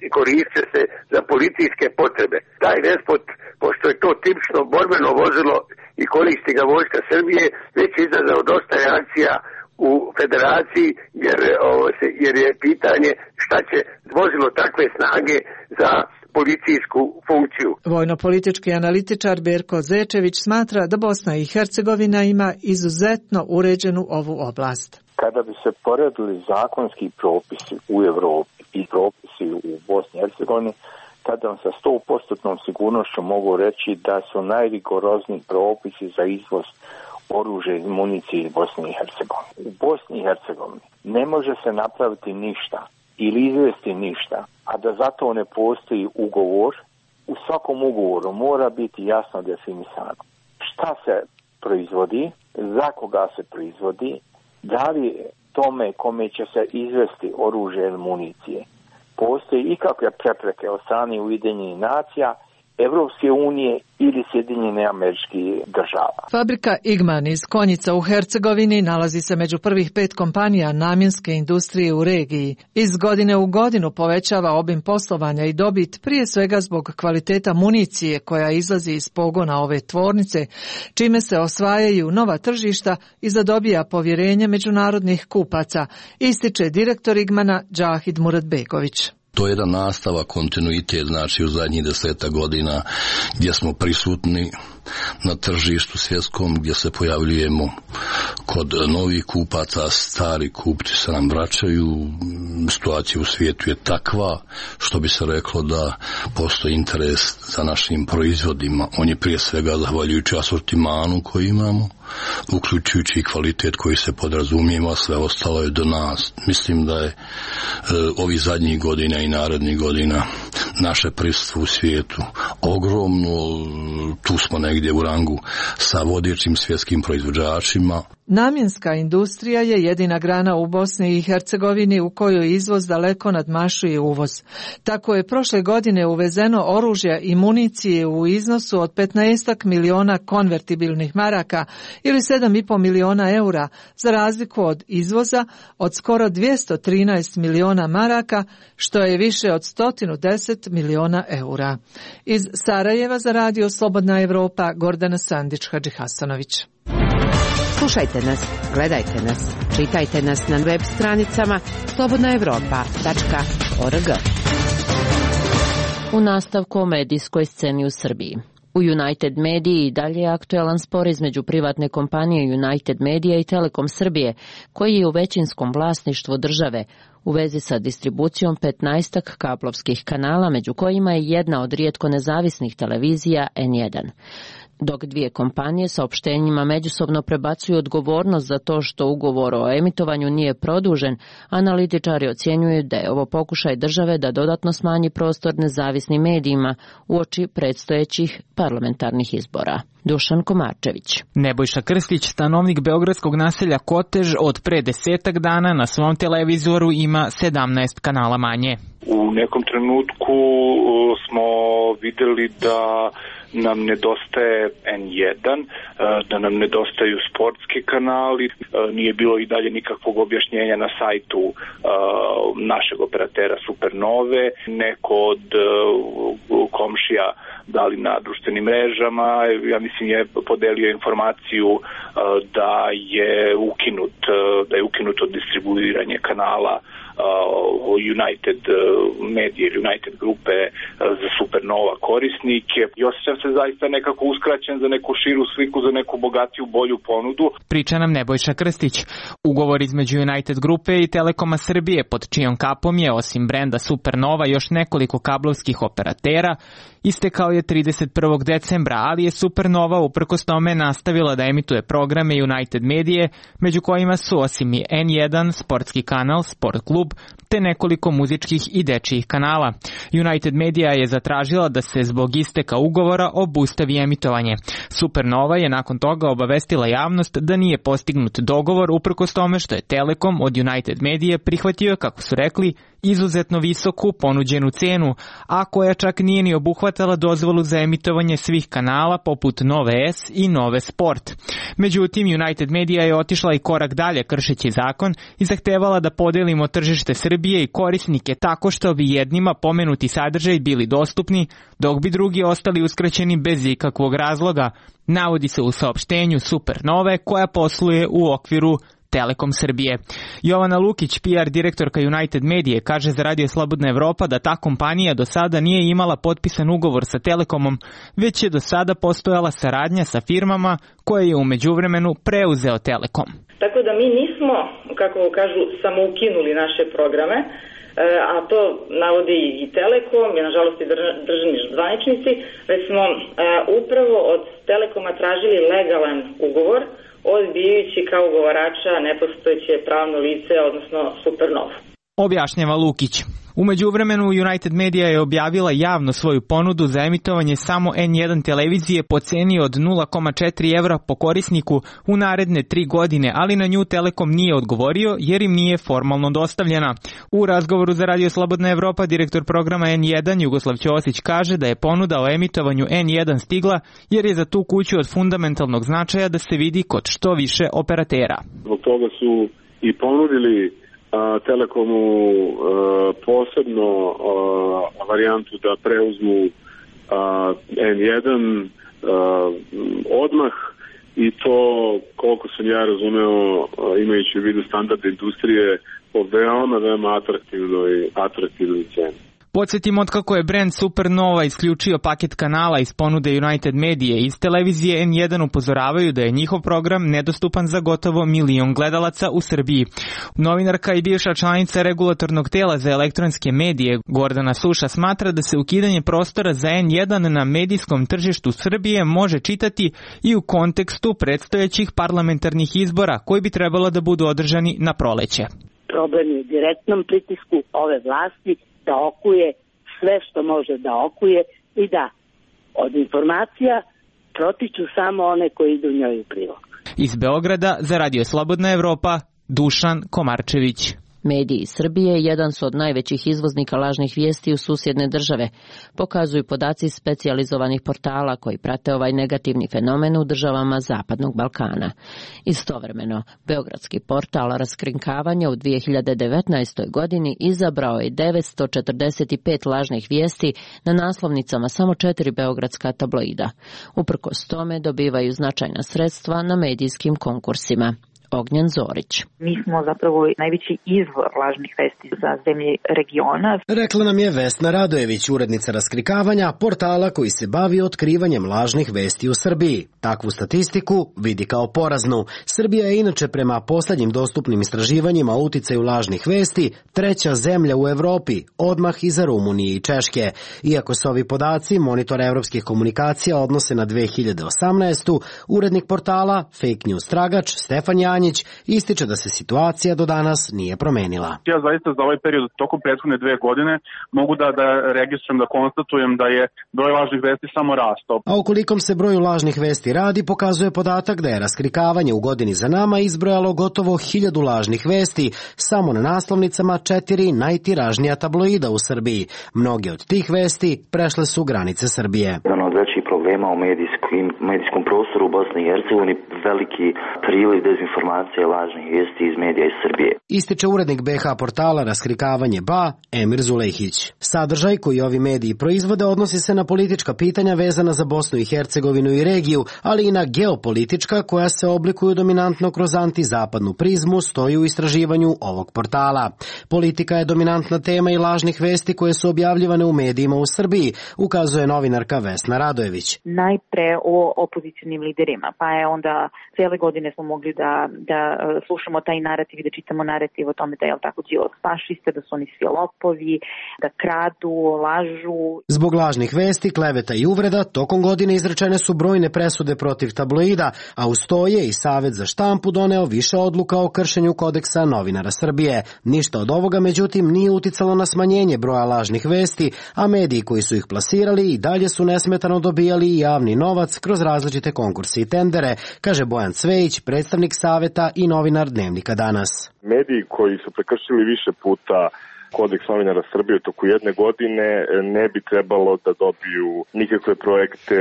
i koriste se za policijske potrebe. Taj Despot, pošto je to tipično borbeno vozilo i koristi ga vojska Srbije, već je izazvao dosta reakcija u Federaciji jer je pitanje šta će vozilo takve snage za policijsku funkciju. Vojno-politički analitičar Berko Zečević smatra da Bosna i Hercegovina ima izuzetno uređenu ovu oblast. Kada bi se poredili zakonski propisi u Evropi i propisi u Bosni i Hercegovini, tada vam sa 100% sigurnošću mogu reći da su najrigorozniji propisi za izvoz oružja i municije iz Bosne i Hercegovine. U Bosni i Hercegovini ne može se napraviti ništa ili izvesti ništa, a da zato ne postoji ugovor. U svakom ugovoru mora biti jasno definisano šta se proizvodi, za koga se proizvodi, da li tome kome će se izvesti oružje ili municije postoji ikakve prepreke od strane Ujedinjenih nacija, Evropske unije ili Sjedinjene Američkih Država. Fabrika Igman iz Konjica u Hercegovini nalazi se među prvih 5 kompanija namjenske industrije u regiji. Iz godine u godinu povećava obim poslovanja i dobit, prije svega zbog kvaliteta municije koja izlazi iz pogona ove tvornice, čime se osvajaju nova tržišta i zadobija povjerenje međunarodnih kupaca, ističe direktor Igmana Džahid Muratbegović. To je jedan nastavak, kontinuitet, znači u zadnjih 10 godina gdje smo prisutni na tržištu svjetskom, gdje se pojavljujemo kod novih kupaca, stari kupci se nam vraćaju, situacija u svijetu je takva što bi se reklo da postoji interes za našim proizvodima. On je prije svega zahvaljujući asortimanu koji imamo, uključujući i kvalitet koji se podrazumijeva, a sve ostalo je do nas. Mislim da je ovih zadnjih godina i narednih godina naše prisustvo u svijetu ogromno, tu smo negdje u rangu sa vodećim svjetskim proizvođačima. Namjenska industrija je jedina grana u Bosni i Hercegovini u kojoj izvoz daleko nadmašuje uvoz. Tako je prošle godine uvezeno oružja i municije u iznosu od 15 miliona konvertibilnih maraka ili 7,5 miliona eura, za razliku od izvoza od skoro 213 miliona maraka, što je više od 110 miliona eura. Iz Sarajeva za Radio Slobodna Evropa, Gordana Sandić-Hadžihasanović. Slušajte nas, gledajte nas, čitajte nas na web stranicama slobodnaevropa.org. U nastavku o medijskoj sceni u Srbiji. U United Mediji i dalje je aktuelan spor između privatne kompanije United Media i Telekom Srbije, koji je u većinskom vlasništvu države, u vezi sa distribucijom 15 kablovskih kanala, među kojima je jedna od rijetko nezavisnih televizija N1. Dok dvije kompanije saopštenjima međusobno prebacuju odgovornost za to što ugovor o emitovanju nije produžen, analitičari ocjenjuju da je ovo pokušaj države da dodatno smanji prostor nezavisnim medijima uoči predstojećih parlamentarnih izbora. Dušan Komarčević. Nebojša Krstić, stanovnik beogradskog naselja Kotež, od pre 10 dana na svom televizoru ima 17 kanala manje. U nekom trenutku smo videli da nam nedostaje N1, da nam nedostaju sportski kanali, nije bilo i dalje nikakvog objašnjenja na sajtu našeg operatera Supernove, neko od komšija dali na društvenim mrežama, ja mislim je podelio informaciju da je ukinuto distribuiranje kanala United Media ili United grupe za Supernova korisnike i osjećam se zaista nekako uskraćen za neku širu sliku, za neku bogatiju, bolju ponudu. Priča nam Nebojša Krstić. Ugovor između United grupe i Telekoma Srbije, pod čijom kapom je osim brenda Supernova još nekoliko kablovskih operatera, istekao je 31. decembra, ali je Supernova uprkos tome nastavila da emituje programe United Medije, među kojima su osim i N1, sportski kanal, Sport klub, te nekoliko muzičkih i dečijih kanala. United Media je zatražila da se zbog isteka ugovora obustavi emitovanje. Supernova je nakon toga obavestila javnost da nije postignut dogovor uprkos tome što je Telekom od United Medije prihvatio, kako su rekli, izuzetno visoku ponuđenu cenu, a koja čak nije ni obuhvatala dozvolu za emitovanje svih kanala poput Nove S i Nove Sport. Međutim, United Media je otišla i korak dalje kršeći zakon i zahtevala da podelimo tržište Srbije i korisnike tako što bi jednima pomenuti sadržaj bili dostupni, dok bi drugi ostali uskraćeni bez ikakvog razloga, navodi se u saopštenju Supernove koja posluje u okviru Telekom Srbije. Jovana Lukić, PR direktorka United Medije, kaže za Radio Slobodna Evropa da ta kompanija do sada nije imala potpisan ugovor sa Telekomom, već je do sada postojala saradnja sa firmama koje je u međuvremenu preuzeo Telekom. Tako da mi nismo, kako kažu, samo ukinuli naše programe, a to navodi i Telekom i nažalost i državni zvaničnici, već smo upravo od Telekoma tražili legalan ugovor, odbijajući kao ugovarača nepostojeće pravno lice, odnosno Supernova. Objašnjava Lukić. U međuvremenu United Media je objavila javno svoju ponudu za emitovanje samo N1 televizije po ceni od 0,4 evra po korisniku u naredne 3 godine, ali na nju Telekom nije odgovorio jer im nije formalno dostavljena. U razgovoru za Radio Slobodna Evropa direktor programa N1 Jugoslav Ćosić kaže da je ponuda o emitovanju N1 stigla jer je za tu kuću od fundamentalnog značaja da se vidi kod što više operatera. Zbog toga su i ponudili Telekomu posebno varijantu da preuzmu N1 odmah i to, koliko sam ja razumeo, imajući u vidu standarde industrije, po veoma atraktivnoj ceni. Podsjetimo otkako je brend Supernova isključio paket kanala iz ponude United Medije iz televizije N1 upozoravaju da je njihov program nedostupan za gotovo 1 milion gledalaca u Srbiji. Novinarka i bivša članica regulatornog tela za elektronske medije Gordana Suša smatra da se ukidanje prostora za N1 na medijskom tržištu Srbije može čitati i u kontekstu predstojećih parlamentarnih izbora koji bi trebalo da budu održani na proleće. Problem je u direktnom pritisku ove vlasti da okuje sve što može da okuje i da od informacija protiču samo one koji idu njoj u prilog. Iz Beograda za Radio Slobodna Evropa, Dušan Komarčević. Mediji Srbije jedan su od najvećih izvoznika lažnih vijesti u susjedne države, pokazuju podaci specijalizovanih portala koji prate ovaj negativni fenomen u državama Zapadnog Balkana. Istovremeno, beogradski portal Raskrinkavanje u 2019. godini izabrao je 945 lažnih vijesti na naslovnicama samo 4 beogradska tabloida. Uprkos tome dobivaju značajna sredstva na medijskim konkursima. Ognjen Zorić. Mi smo zapravo najveći izvor lažnih vesti za zemlje regiona. Rekla nam je Vesna Radojević, urednica Raskrikavanja, portala koji se bavi otkrivanjem lažnih vesti u Srbiji. Takvu statistiku vidi kao poraznu. Srbija je inače prema poslednjim dostupnim istraživanjima o uticaju lažnih vesti 3. zemlja u Evropi, odmah iza Rumunije i Češke. Iako se ovi podaci Monitora evropskih komunikacija odnose na 2018. urednik portala Fake News Tragač Stefan Janjić Janjić ističe da se situacija do danas nije promenila. Ja zaista za ovaj period tokom prethodne 2 godine mogu da registrujem, da konstatujem da je broj lažnih vesti samo rastao. A o kolikom se broju lažnih vesti radi pokazuje podatak da je raskrikavanje u godini za nama izbrojalo gotovo 1000 lažnih vesti samo na naslovnicama 4 najtiražnija tabloida u Srbiji. Mnoge od tih vesti prešle su granice Srbije. Jedan od većih problema u medijskom prostoru u Bosni i Hercegovini veliki priliv dezinformacije i lažnih vijesti iz medija iz Srbije. Ističe urednik BH portala Raskrikavanje BA Emir Zulejhić. Sadržaj koji ovi mediji proizvode odnosi se na politička pitanja vezana za Bosnu i Hercegovinu i regiju, ali i na geopolitička koja se oblikuju dominantno kroz antizapadnu prizmu, stoji u istraživanju ovog portala. Politika je dominantna tema i lažnih vesti koje su objavljivane u medijima u Srbiji, ukazuje novinarka Vesna Radojević. Najpre o opozicionim liderima, pa je onda cijele godine smo mogli da slušamo taj narativ i da čitamo narativ o tome da je tako Đilas fašista, da su oni svi lopovi, da kradu, lažu. Zbog lažnih vesti, kleveta i uvreda, tokom godine izrečene su brojne presude protiv tabloida, a uz to je i Savet za štampu doneo više odluka o kršenju kodeksa novinara Srbije. Ništa od ovoga, međutim, nije uticalo na smanjenje broja lažnih vesti, a mediji koji su ih plasirali i dalje su nesmetano dobijali i javni novac kroz različite konkurse i tendere, kaže Bojan Cvejić, predstavnik Saveta i novinar Dnevnika Danas. Mediji koji su prekršili više puta kodeks novinara Srbije u toku jedne godine ne bi trebalo da dobiju nikakve projekte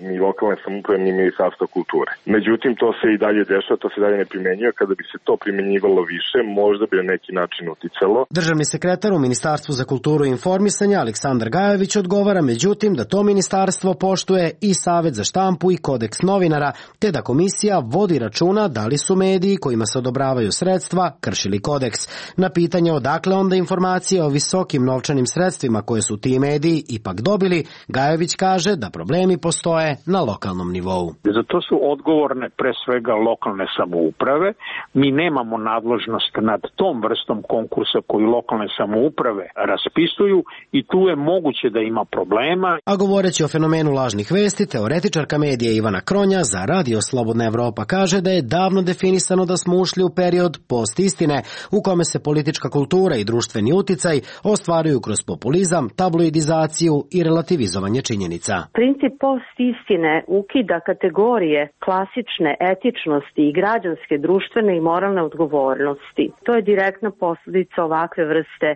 ni lokalne samouprave ni Ministarstva kulture. Međutim, to se i dalje dešava, to se dalje ne primenjuje. Kada bi se to primenjivalo više, možda bi na neki način uticalo. Državni sekretar u Ministarstvu za kulturu i informisanje Aleksandar Gajević odgovara, međutim, da to ministarstvo poštuje i Savet za štampu i kodeks novinara, te da komisija vodi računa da li su mediji kojima se odobravaju sredstva kršili kodeks. Na pitanje odakle onda informacije o visokim novčanim sredstvima koje su ti mediji ipak dobili, Gajević kaže da problemi postoje na lokalnom nivou. Za to su odgovorne pre svega lokalne samouprave. Mi nemamo nadležnost nad tom vrstom konkursa koju lokalne samouprave raspisuju i tu je moguće da ima problema. A govoreći o fenomenu lažnih vesti, teoretičarka medija Ivana Kronja za Radio Slobodna Evropa kaže da je davno definisano da smo ušli u period post-istine u kome se politička kultura i društveni uticaj ostvaruju kroz populizam, tabloidizaciju i relativizovanje činjenica. Princip post-istine ukida kategorije klasične etičnosti i građanske, društvene i moralne odgovornosti. To je direktna posljedica ovakve vrste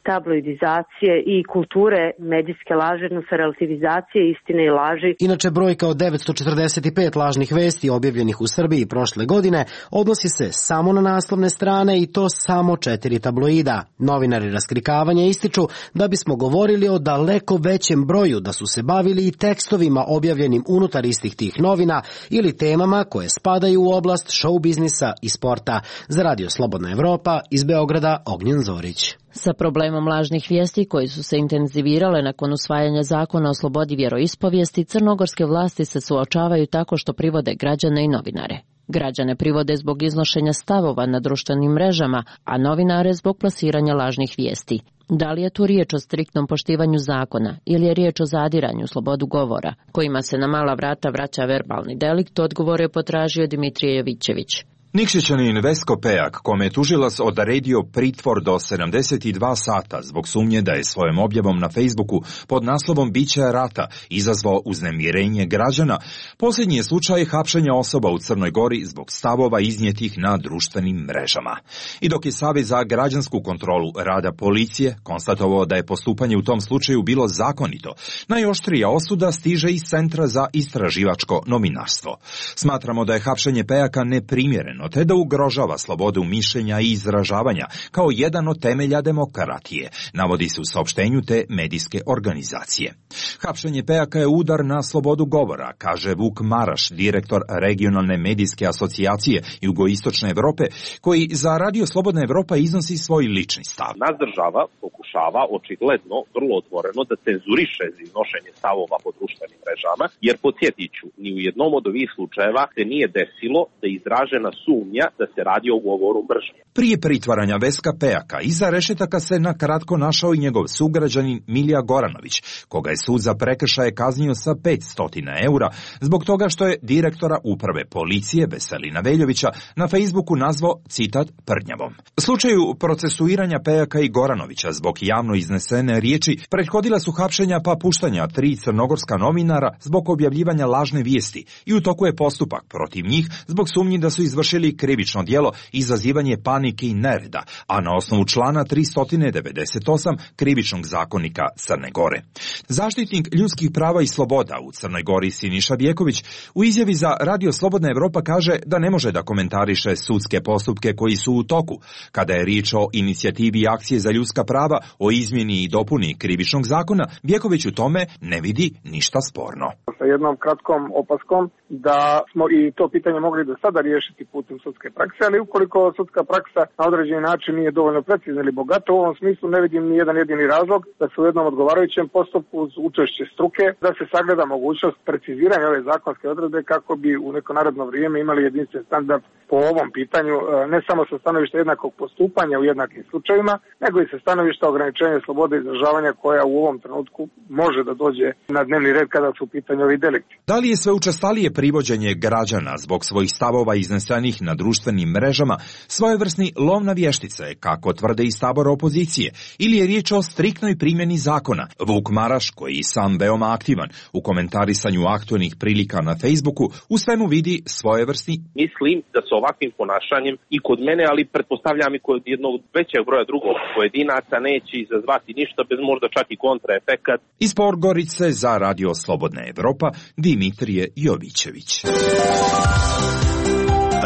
tabloidizacije i kulture medijske laži, odnosno relativizacije istine i laži. Inače, brojka od 945 lažnih vesti objavljenih u Srbiji prošle godine odnosi se samo na naslovne strane i to samo 4 tabloida. Novinari Raskrikavanja ističu da bismo govorili o daleko većem broju da su se bavili i tekstovima objavljenim unutar istih tih novina ili temama koje spadaju u oblast show biznisa i sporta. Za Radio Slobodna Evropa iz Beograda Ognjen Zorić. Sa problemom lažnih vijesti koji su se intenzivirale nakon usvajanja zakona o slobodi vjeroispovijesti, crnogorske vlasti se suočavaju tako što privode građane i novinare. Građane privode zbog iznošenja stavova na društvenim mrežama, a novinare zbog plasiranja lažnih vijesti. Da li je tu riječ o striktnom poštivanju zakona ili je riječ o zadiranju u slobodu govora, kojima se na mala vrata vraća verbalni delikt, odgovor je potražio Dimitrije Jovićević. Nikšićanin Vesko Pejak, kome je tužilac odredio pritvor do 72 sata zbog sumnje da je svojom objavom na Facebooku pod naslovom Biće rata izazvao uznemirenje građana, posljednji je slučaj hapšenja osoba u Crnoj Gori zbog stavova iznijetih na društvenim mrežama. I dok je Savez za građansku kontrolu rada policije konstatovao da je postupanje u tom slučaju bilo zakonito, najoštrija osuda stiže iz Centra za istraživačko novinarstvo. Smatramo da je hapšenje Pejaka neprimjereno, te da ugrožava slobodu mišljenja i izražavanja kao jedan od temelja demokratije, navodi se u saopštenju te medijske organizacije. Hapšenje Pejaka je udar na slobodu govora, kaže Vuk Maraš, direktor regionalne medijske asocijacije Jugoistočne Evrope, koji za Radio Slobodna Evropa iznosi svoj lični stav. Naš država pokušava pokušava očigledno, vrlo otvoreno, da cenzuriše iznošenje stavova po društvenim mrežama, jer podsjetit ću, ni u jednom od ovih slučajeva se nije desilo da je izražena sumnja da se radi o govoru mržnje. Prije pritvaranja Veska Pejaka, iza rešetaka se na kratko našao i njegov sugrađanin Milija Goranović, koga je sud za prekršaje kaznio sa 500 eura zbog toga što je direktora uprave policije Veselina Veljovića na Facebooku nazvao, citat, prdnjavom. Slučaju procesuiranja Pejaka i Goranovića zbog javno iznesene riječi prethodila su hapšenja pa puštanja 3 crnogorska novinara zbog objavljivanja lažne vijesti i u toku je postupak protiv njih zbog sumnji da su izvršili krivično djelo izazivanje panike i nereda, a na osnovu člana 398 krivičnog zakonika Crne Gore. Zaštitnik ljudskih prava i sloboda u Crnoj Gori Siniša Bjeković u izjavi za Radio Slobodna Evropa kaže da ne može da komentariše sudske postupke koji su u toku, kada je riječ o inicijativi akcije za ljudska prava o izmjeni i dopuni krivičnog zakona. Bjeković u tome ne vidi ništa sporno. Sa jednom kratkom opaskom da smo i to pitanje mogli do sada riješiti putem sudske prakse, ali ukoliko sudska praksa na određeni način nije dovoljno precizna ili bogata, u ovom smislu ne vidim ni jedan jedini razlog da se u jednom odgovarajućem postupku uz učešće struke da se sagleda mogućnost preciziranja ove zakonske odredbe kako bi u neko naredno vrijeme imali jedinstven standard po ovom pitanju, ne samo sa stanovišta jednakog postupanja u jednakim slučajevima, nego i sa stanovišta ograničenja slobode izražavanja koja u ovom trenutku može da dođe na dnevni red kada su u pitanju ovi delikti. Da li je sve učestalije privođenje građana zbog svojih stavova iznesenih na društvenim mrežama svojevrsni lov na vještice, kako tvrde iz tabora opozicije, ili je riječ o striktnoj primjeni zakona? Vuk Maraš, koji je sam veoma aktivan u komentarisanju aktualnih prilika na Facebooku, u svemu vidi svojevrsni. Mislim da sa ovakvim ponašanjem i kod mene, ali pretpostavljam i kod jednog većeg broja drugog pojedinaca neće izazvati ništa bez možda čak i kontraefekat. Iz Podgorice za Radio Slobodna Evropa Dimitrije Jovićević.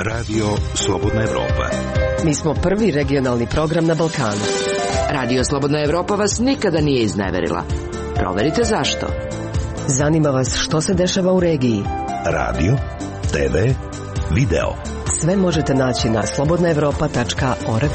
Radio Slobodna Evropa. Mi smo prvi regionalni program na Balkanu. Radio Slobodna Evropa vas nikada nije izneverila. Proverite zašto. Zanima vas što se dešava u regiji. Radio, TV, video. Sve možete naći na slobodnaevropa.org.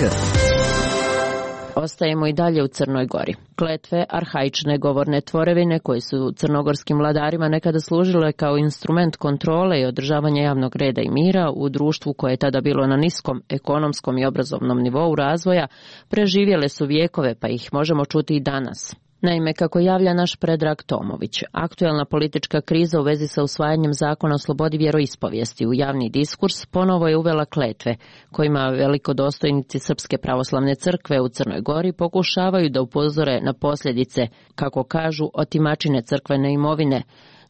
Ostajemo i dalje u Crnoj Gori. Kletve, arhaične govorne tvorevine koje su crnogorskim vladarima nekada služile kao instrument kontrole i održavanja javnog reda i mira u društvu koje je tada bilo na niskom ekonomskom i obrazovnom nivou razvoja, preživjele su vijekove pa ih možemo čuti i danas. Naime, kako javlja naš Predrag Tomović, aktuelna politička kriza u vezi sa usvajanjem zakona o slobodi vjeroispovijesti u javni diskurs ponovo je uvela kletve, kojima velikodostojnici Srpske pravoslavne crkve u Crnoj Gori pokušavaju da upozore na posljedice, kako kažu, otimačine crkvene imovine,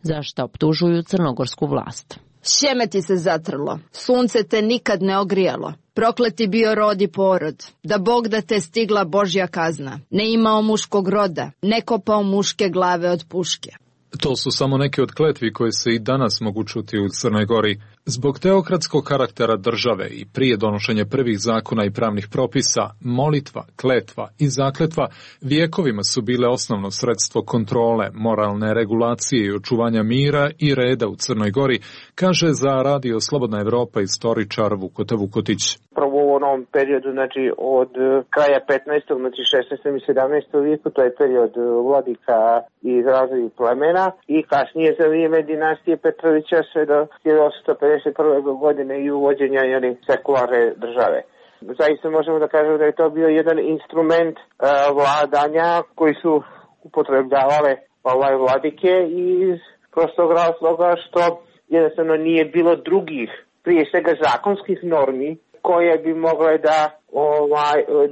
za šta optužuju crnogorsku vlast. Sjeme ti se zatrlo, sunce te nikad ne ogrijalo. Prokleti bio rod i porod, da Bog da te stigla Božja kazna. Ne imao muškog roda, ne kopao muške glave od puške. To su samo neke od kletvi koje se i danas mogu čuti u Crnoj Gori. Zbog teokratskog karaktera države i prije donošenja prvih zakona i pravnih propisa, molitva, kletva i zakletva vijekovima su bile osnovno sredstvo kontrole, moralne regulacije i očuvanja mira i reda u Crnoj Gori, kaže za Radio Slobodna Evropa istoričar Vukota Vukotić. Prvo u onom periodu, znači od kraja 15. znači 16. i 17. vijeku, to je period vladika i razvoj plemena, i kasnije za vrijeme dinastije Petrovića sve do 1851. godine i uvođenja sekularne države. Zaista možemo da kažemo da je to bio jedan instrument vladanja koji su upotrebljavale vladike iz prostog razloga što jednostavno nije bilo drugih, prije svega zakonskih normi koje bi mogle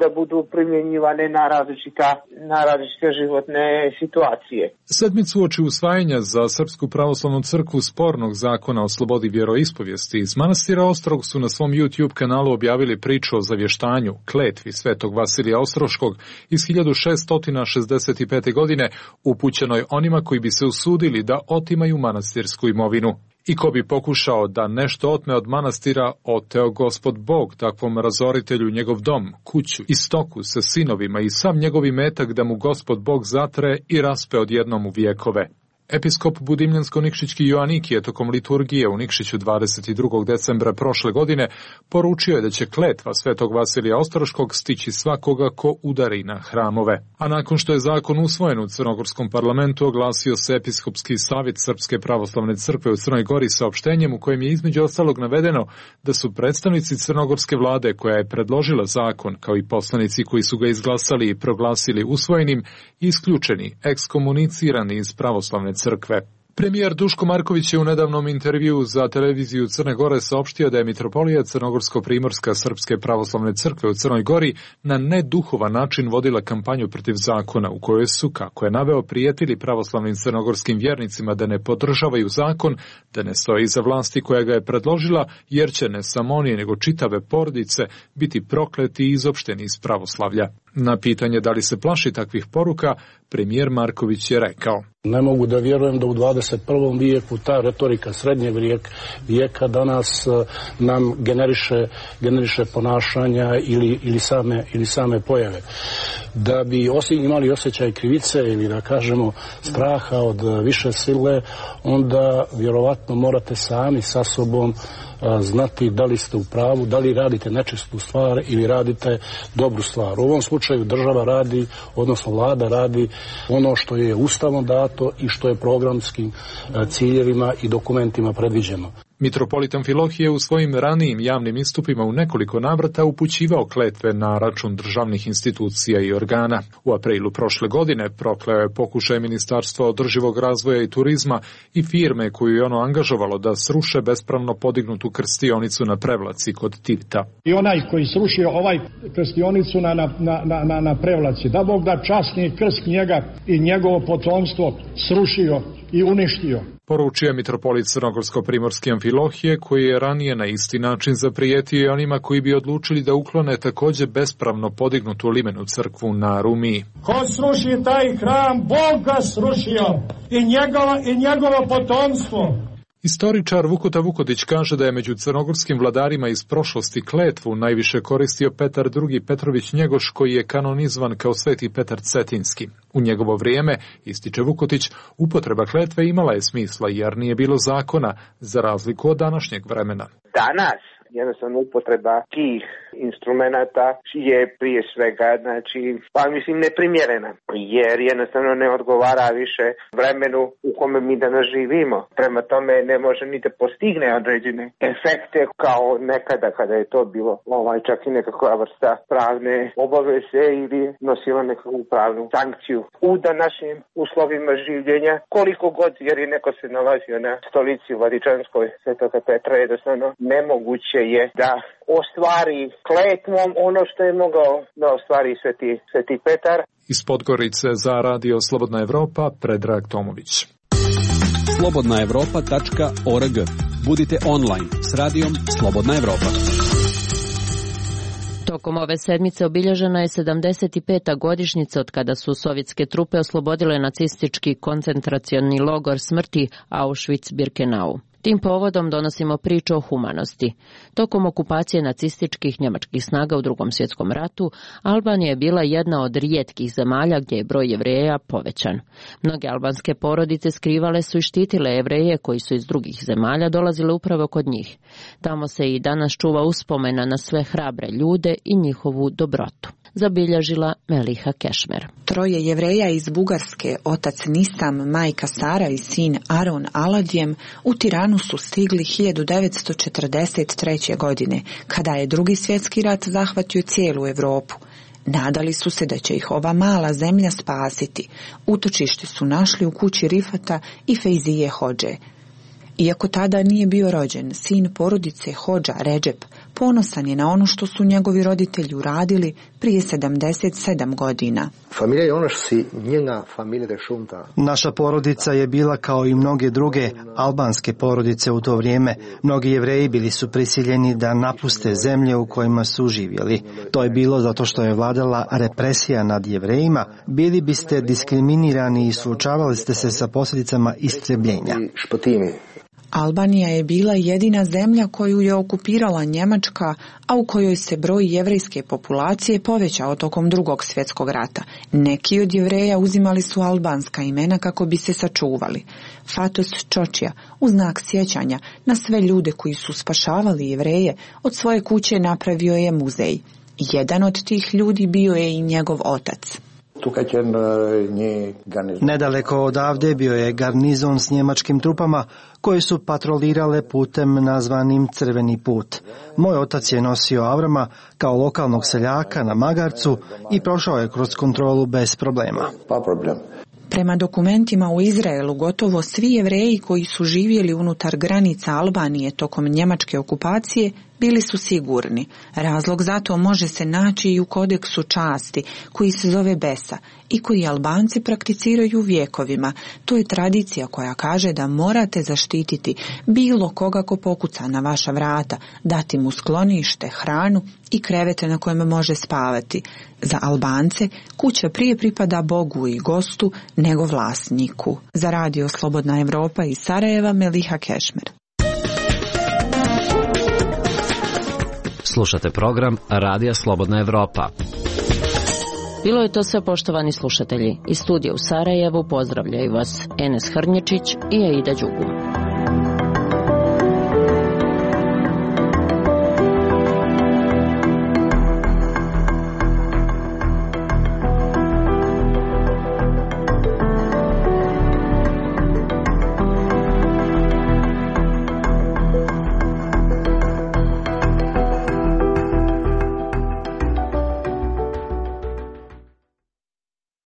da budu primjenjivane na različite životne situacije. Sedmicu uoči usvajanja za Srpsku pravoslavnu crkvu spornog zakona o slobodi vjeroispovijesti iz manastira Ostrog su na svom YouTube kanalu objavili priču o zavještanju, kletvi svetog Vasilija Ostroškog iz 1665. godine, upućenoj onima koji bi se usudili da otimaju manastirsku imovinu. I ko bi pokušao da nešto otme od manastira, oteo Gospod Bog takvom razoritelju njegov dom, kuću i stoku sa sinovima i sam njegov imetak da mu Gospod Bog zatre i raspe odjednom u vijekove. Episkop Budimljansko-Nikšićki Joaniki je tokom liturgije u Nikšiću 22. decembra prošle godine poručio je da će kletva Svetog Vasilija Ostroškog stići svakoga ko udari na hramove. A nakon što je zakon usvojen u Crnogorskom parlamentu, oglasio se Episkopski savjet Srpske pravoslavne crkve u Crnoj Gori saopštenjem u kojem je između ostalog navedeno da su predstavnici crnogorske vlade koja je predložila zakon, kao i poslanici koji su ga izglasali i proglasili usvojenim, isključeni, ekskomunicirani iz pravoslavne crkve. Premijer Duško Marković je u nedavnom intervjuu za televiziju Crne Gore saopštio da je mitropolija Crnogorsko-Primorska Srpske pravoslavne crkve u Crnoj Gori na neduhovan način vodila kampanju protiv zakona u kojoj su, kako je naveo, prijetili pravoslavnim crnogorskim vjernicima da ne podržavaju zakon, da ne stoje iza vlasti koja ga je predložila, jer će ne samo oni nego čitave porodice biti prokleti i izopšteni iz pravoslavlja. Na pitanje da li se plaši takvih poruka, premijer Marković je rekao: Ne mogu da vjerujem da u 21. vijeku ta retorika srednjeg vijeka danas nam generiše ponašanja ili same pojave. Da bi imali osjećaj krivice ili da kažemo straha od više sile, onda vjerovatno morate sami sa sobom znati da li ste u pravu, da li radite nečistu stvar ili radite dobru stvar. U ovom slučaju država radi, odnosno vlada radi ono što je ustavom dato i što je programskim ciljevima i dokumentima predviđeno. Mitropolit Amfilohije u svojim ranijim javnim istupima u nekoliko navrata upućivao kletve na račun državnih institucija i organa. U aprilu prošle godine prokleo je pokušaj Ministarstva održivog razvoja i turizma i firme koju je ono angažovalo da sruše bespravno podignutu krstionicu na Prevlaci kod Tivta. I onaj koji srušio ovaj krstionicu na Prevlaci, da Bog da časni krst njega i njegovo potomstvo srušio i uništio. Poručio je mitropolit Crnogorsko-Primorski Amfilohije, koji je ranije na isti način zaprijetio i onima koji bi odlučili da uklone također bespravno podignutu limenu crkvu na Rumiji. Ko sruši taj hram, Bog ga srušio i njegovo potomstvo. Istoričar Vukota Vukotić kaže da je među crnogorskim vladarima iz prošlosti kletvu najviše koristio Petar II. Petrović Njegoš, koji je kanonizovan kao Sveti Petar Cetinski. U njegovo vrijeme, ističe Vukotić, upotreba kletve imala je smisla jer nije bilo zakona, za razliku od današnjeg vremena. Danas jednostavno upotreba tih instrumenata je prije svega, neprimjerena, jer jednostavno ne odgovara više vremenu u kome mi danas živimo. Prema tome ne može ni da postigne određene efekte kao nekada kada je to bilo čak i nekakva vrsta pravne obaveze ili nosila nekakvu pravnu sankciju. U današnjim uslovima življenja, koliko god, jer je neko se nalazio na stolici Vladičanskoj Svetoga Petra, jednostavno nemoguće je da ostvari kletvom ono što je mogao da ostvari Sveti Petar. Iz Podgorice za Radio Slobodna Evropa, Predrag Tomović. slobodnaevropa.org. Budite online s radijom Slobodna Evropa. Tokom ove sedmice obilježena je 75. godišnjica od kada su sovjetske trupe oslobodile nacistički koncentracioni logor smrti Auschwitz-Birkenau. Tim povodom donosimo priču o humanosti. Tokom okupacije nacističkih njemačkih snaga u Drugom svjetskom ratu, Albanija je bila jedna od rijetkih zemalja gdje je broj Jevreja povećan. Mnoge albanske porodice skrivale su i štitile Jevreje koji su iz drugih zemalja dolazile upravo kod njih. Tamo se i danas čuva uspomena na sve hrabre ljude i njihovu dobrotu. Zabilježila Meliha Kešmer. 3 Jevreja iz Bugarske, otac Nisam, majka Sara i sin Aron Aladjem, u Tiranu su stigli 1943. godine, kada je Drugi svjetski rat zahvatio cijelu Europu. Nadali su se da će ih ova mala zemlja spasiti. Utočište su našli u kući Rifata i Fejzije Hodže. Iako tada nije bio rođen, sin porodice Hodža Redžep ponosan je na ono što su njegovi roditelji uradili prije 77 godina. Naša porodica je bila kao i mnoge druge albanske porodice u to vrijeme. Mnogi Jevreji bili su prisiljeni da napuste zemlje u kojima su živjeli. To je bilo zato što je vladala represija nad Jevrejima. Bili biste diskriminirani i suočavali ste se sa posljedicama istrebljenja. Albanija je bila jedina zemlja koju je okupirala Njemačka, a u kojoj se broj jevrejske populacije povećao tokom Drugog svjetskog rata. Neki od Jevreja uzimali su albanska imena kako bi se sačuvali. Fatos Čočija, u znak sjećanja na sve ljude koji su spašavali Jevreje, od svoje kuće napravio je muzej. Jedan od tih ljudi bio je i njegov otac. Nedaleko odavde bio je garnizon s njemačkim trupama koji su patrolirale putem nazvanim Crveni put. Moj otac je nosio Avrama kao lokalnog seljaka na magarcu i prošao je kroz kontrolu bez problema. Prema dokumentima u Izraelu, gotovo svi Jevreji koji su živjeli unutar granica Albanije tokom njemačke okupacije bili su sigurni. Razlog za to može se naći i u kodeksu časti, koji se zove Besa i koji Albanci prakticiraju vjekovima. To je tradicija koja kaže da morate zaštititi bilo koga ko pokuca na vaša vrata, dati mu sklonište, hranu i krevete na kojem može spavati. Za Albance kuća prije pripada Bogu i gostu nego vlasniku. Za Radio Slobodna Evropa iz Sarajeva, Meliha Kešmer. Slušate program Radija Slobodna Evropa. Bilo je to sve, poštovani slušatelji. Iz studija u Sarajevu pozdravljaju vas Enes Hrnječić i Aida Đugum.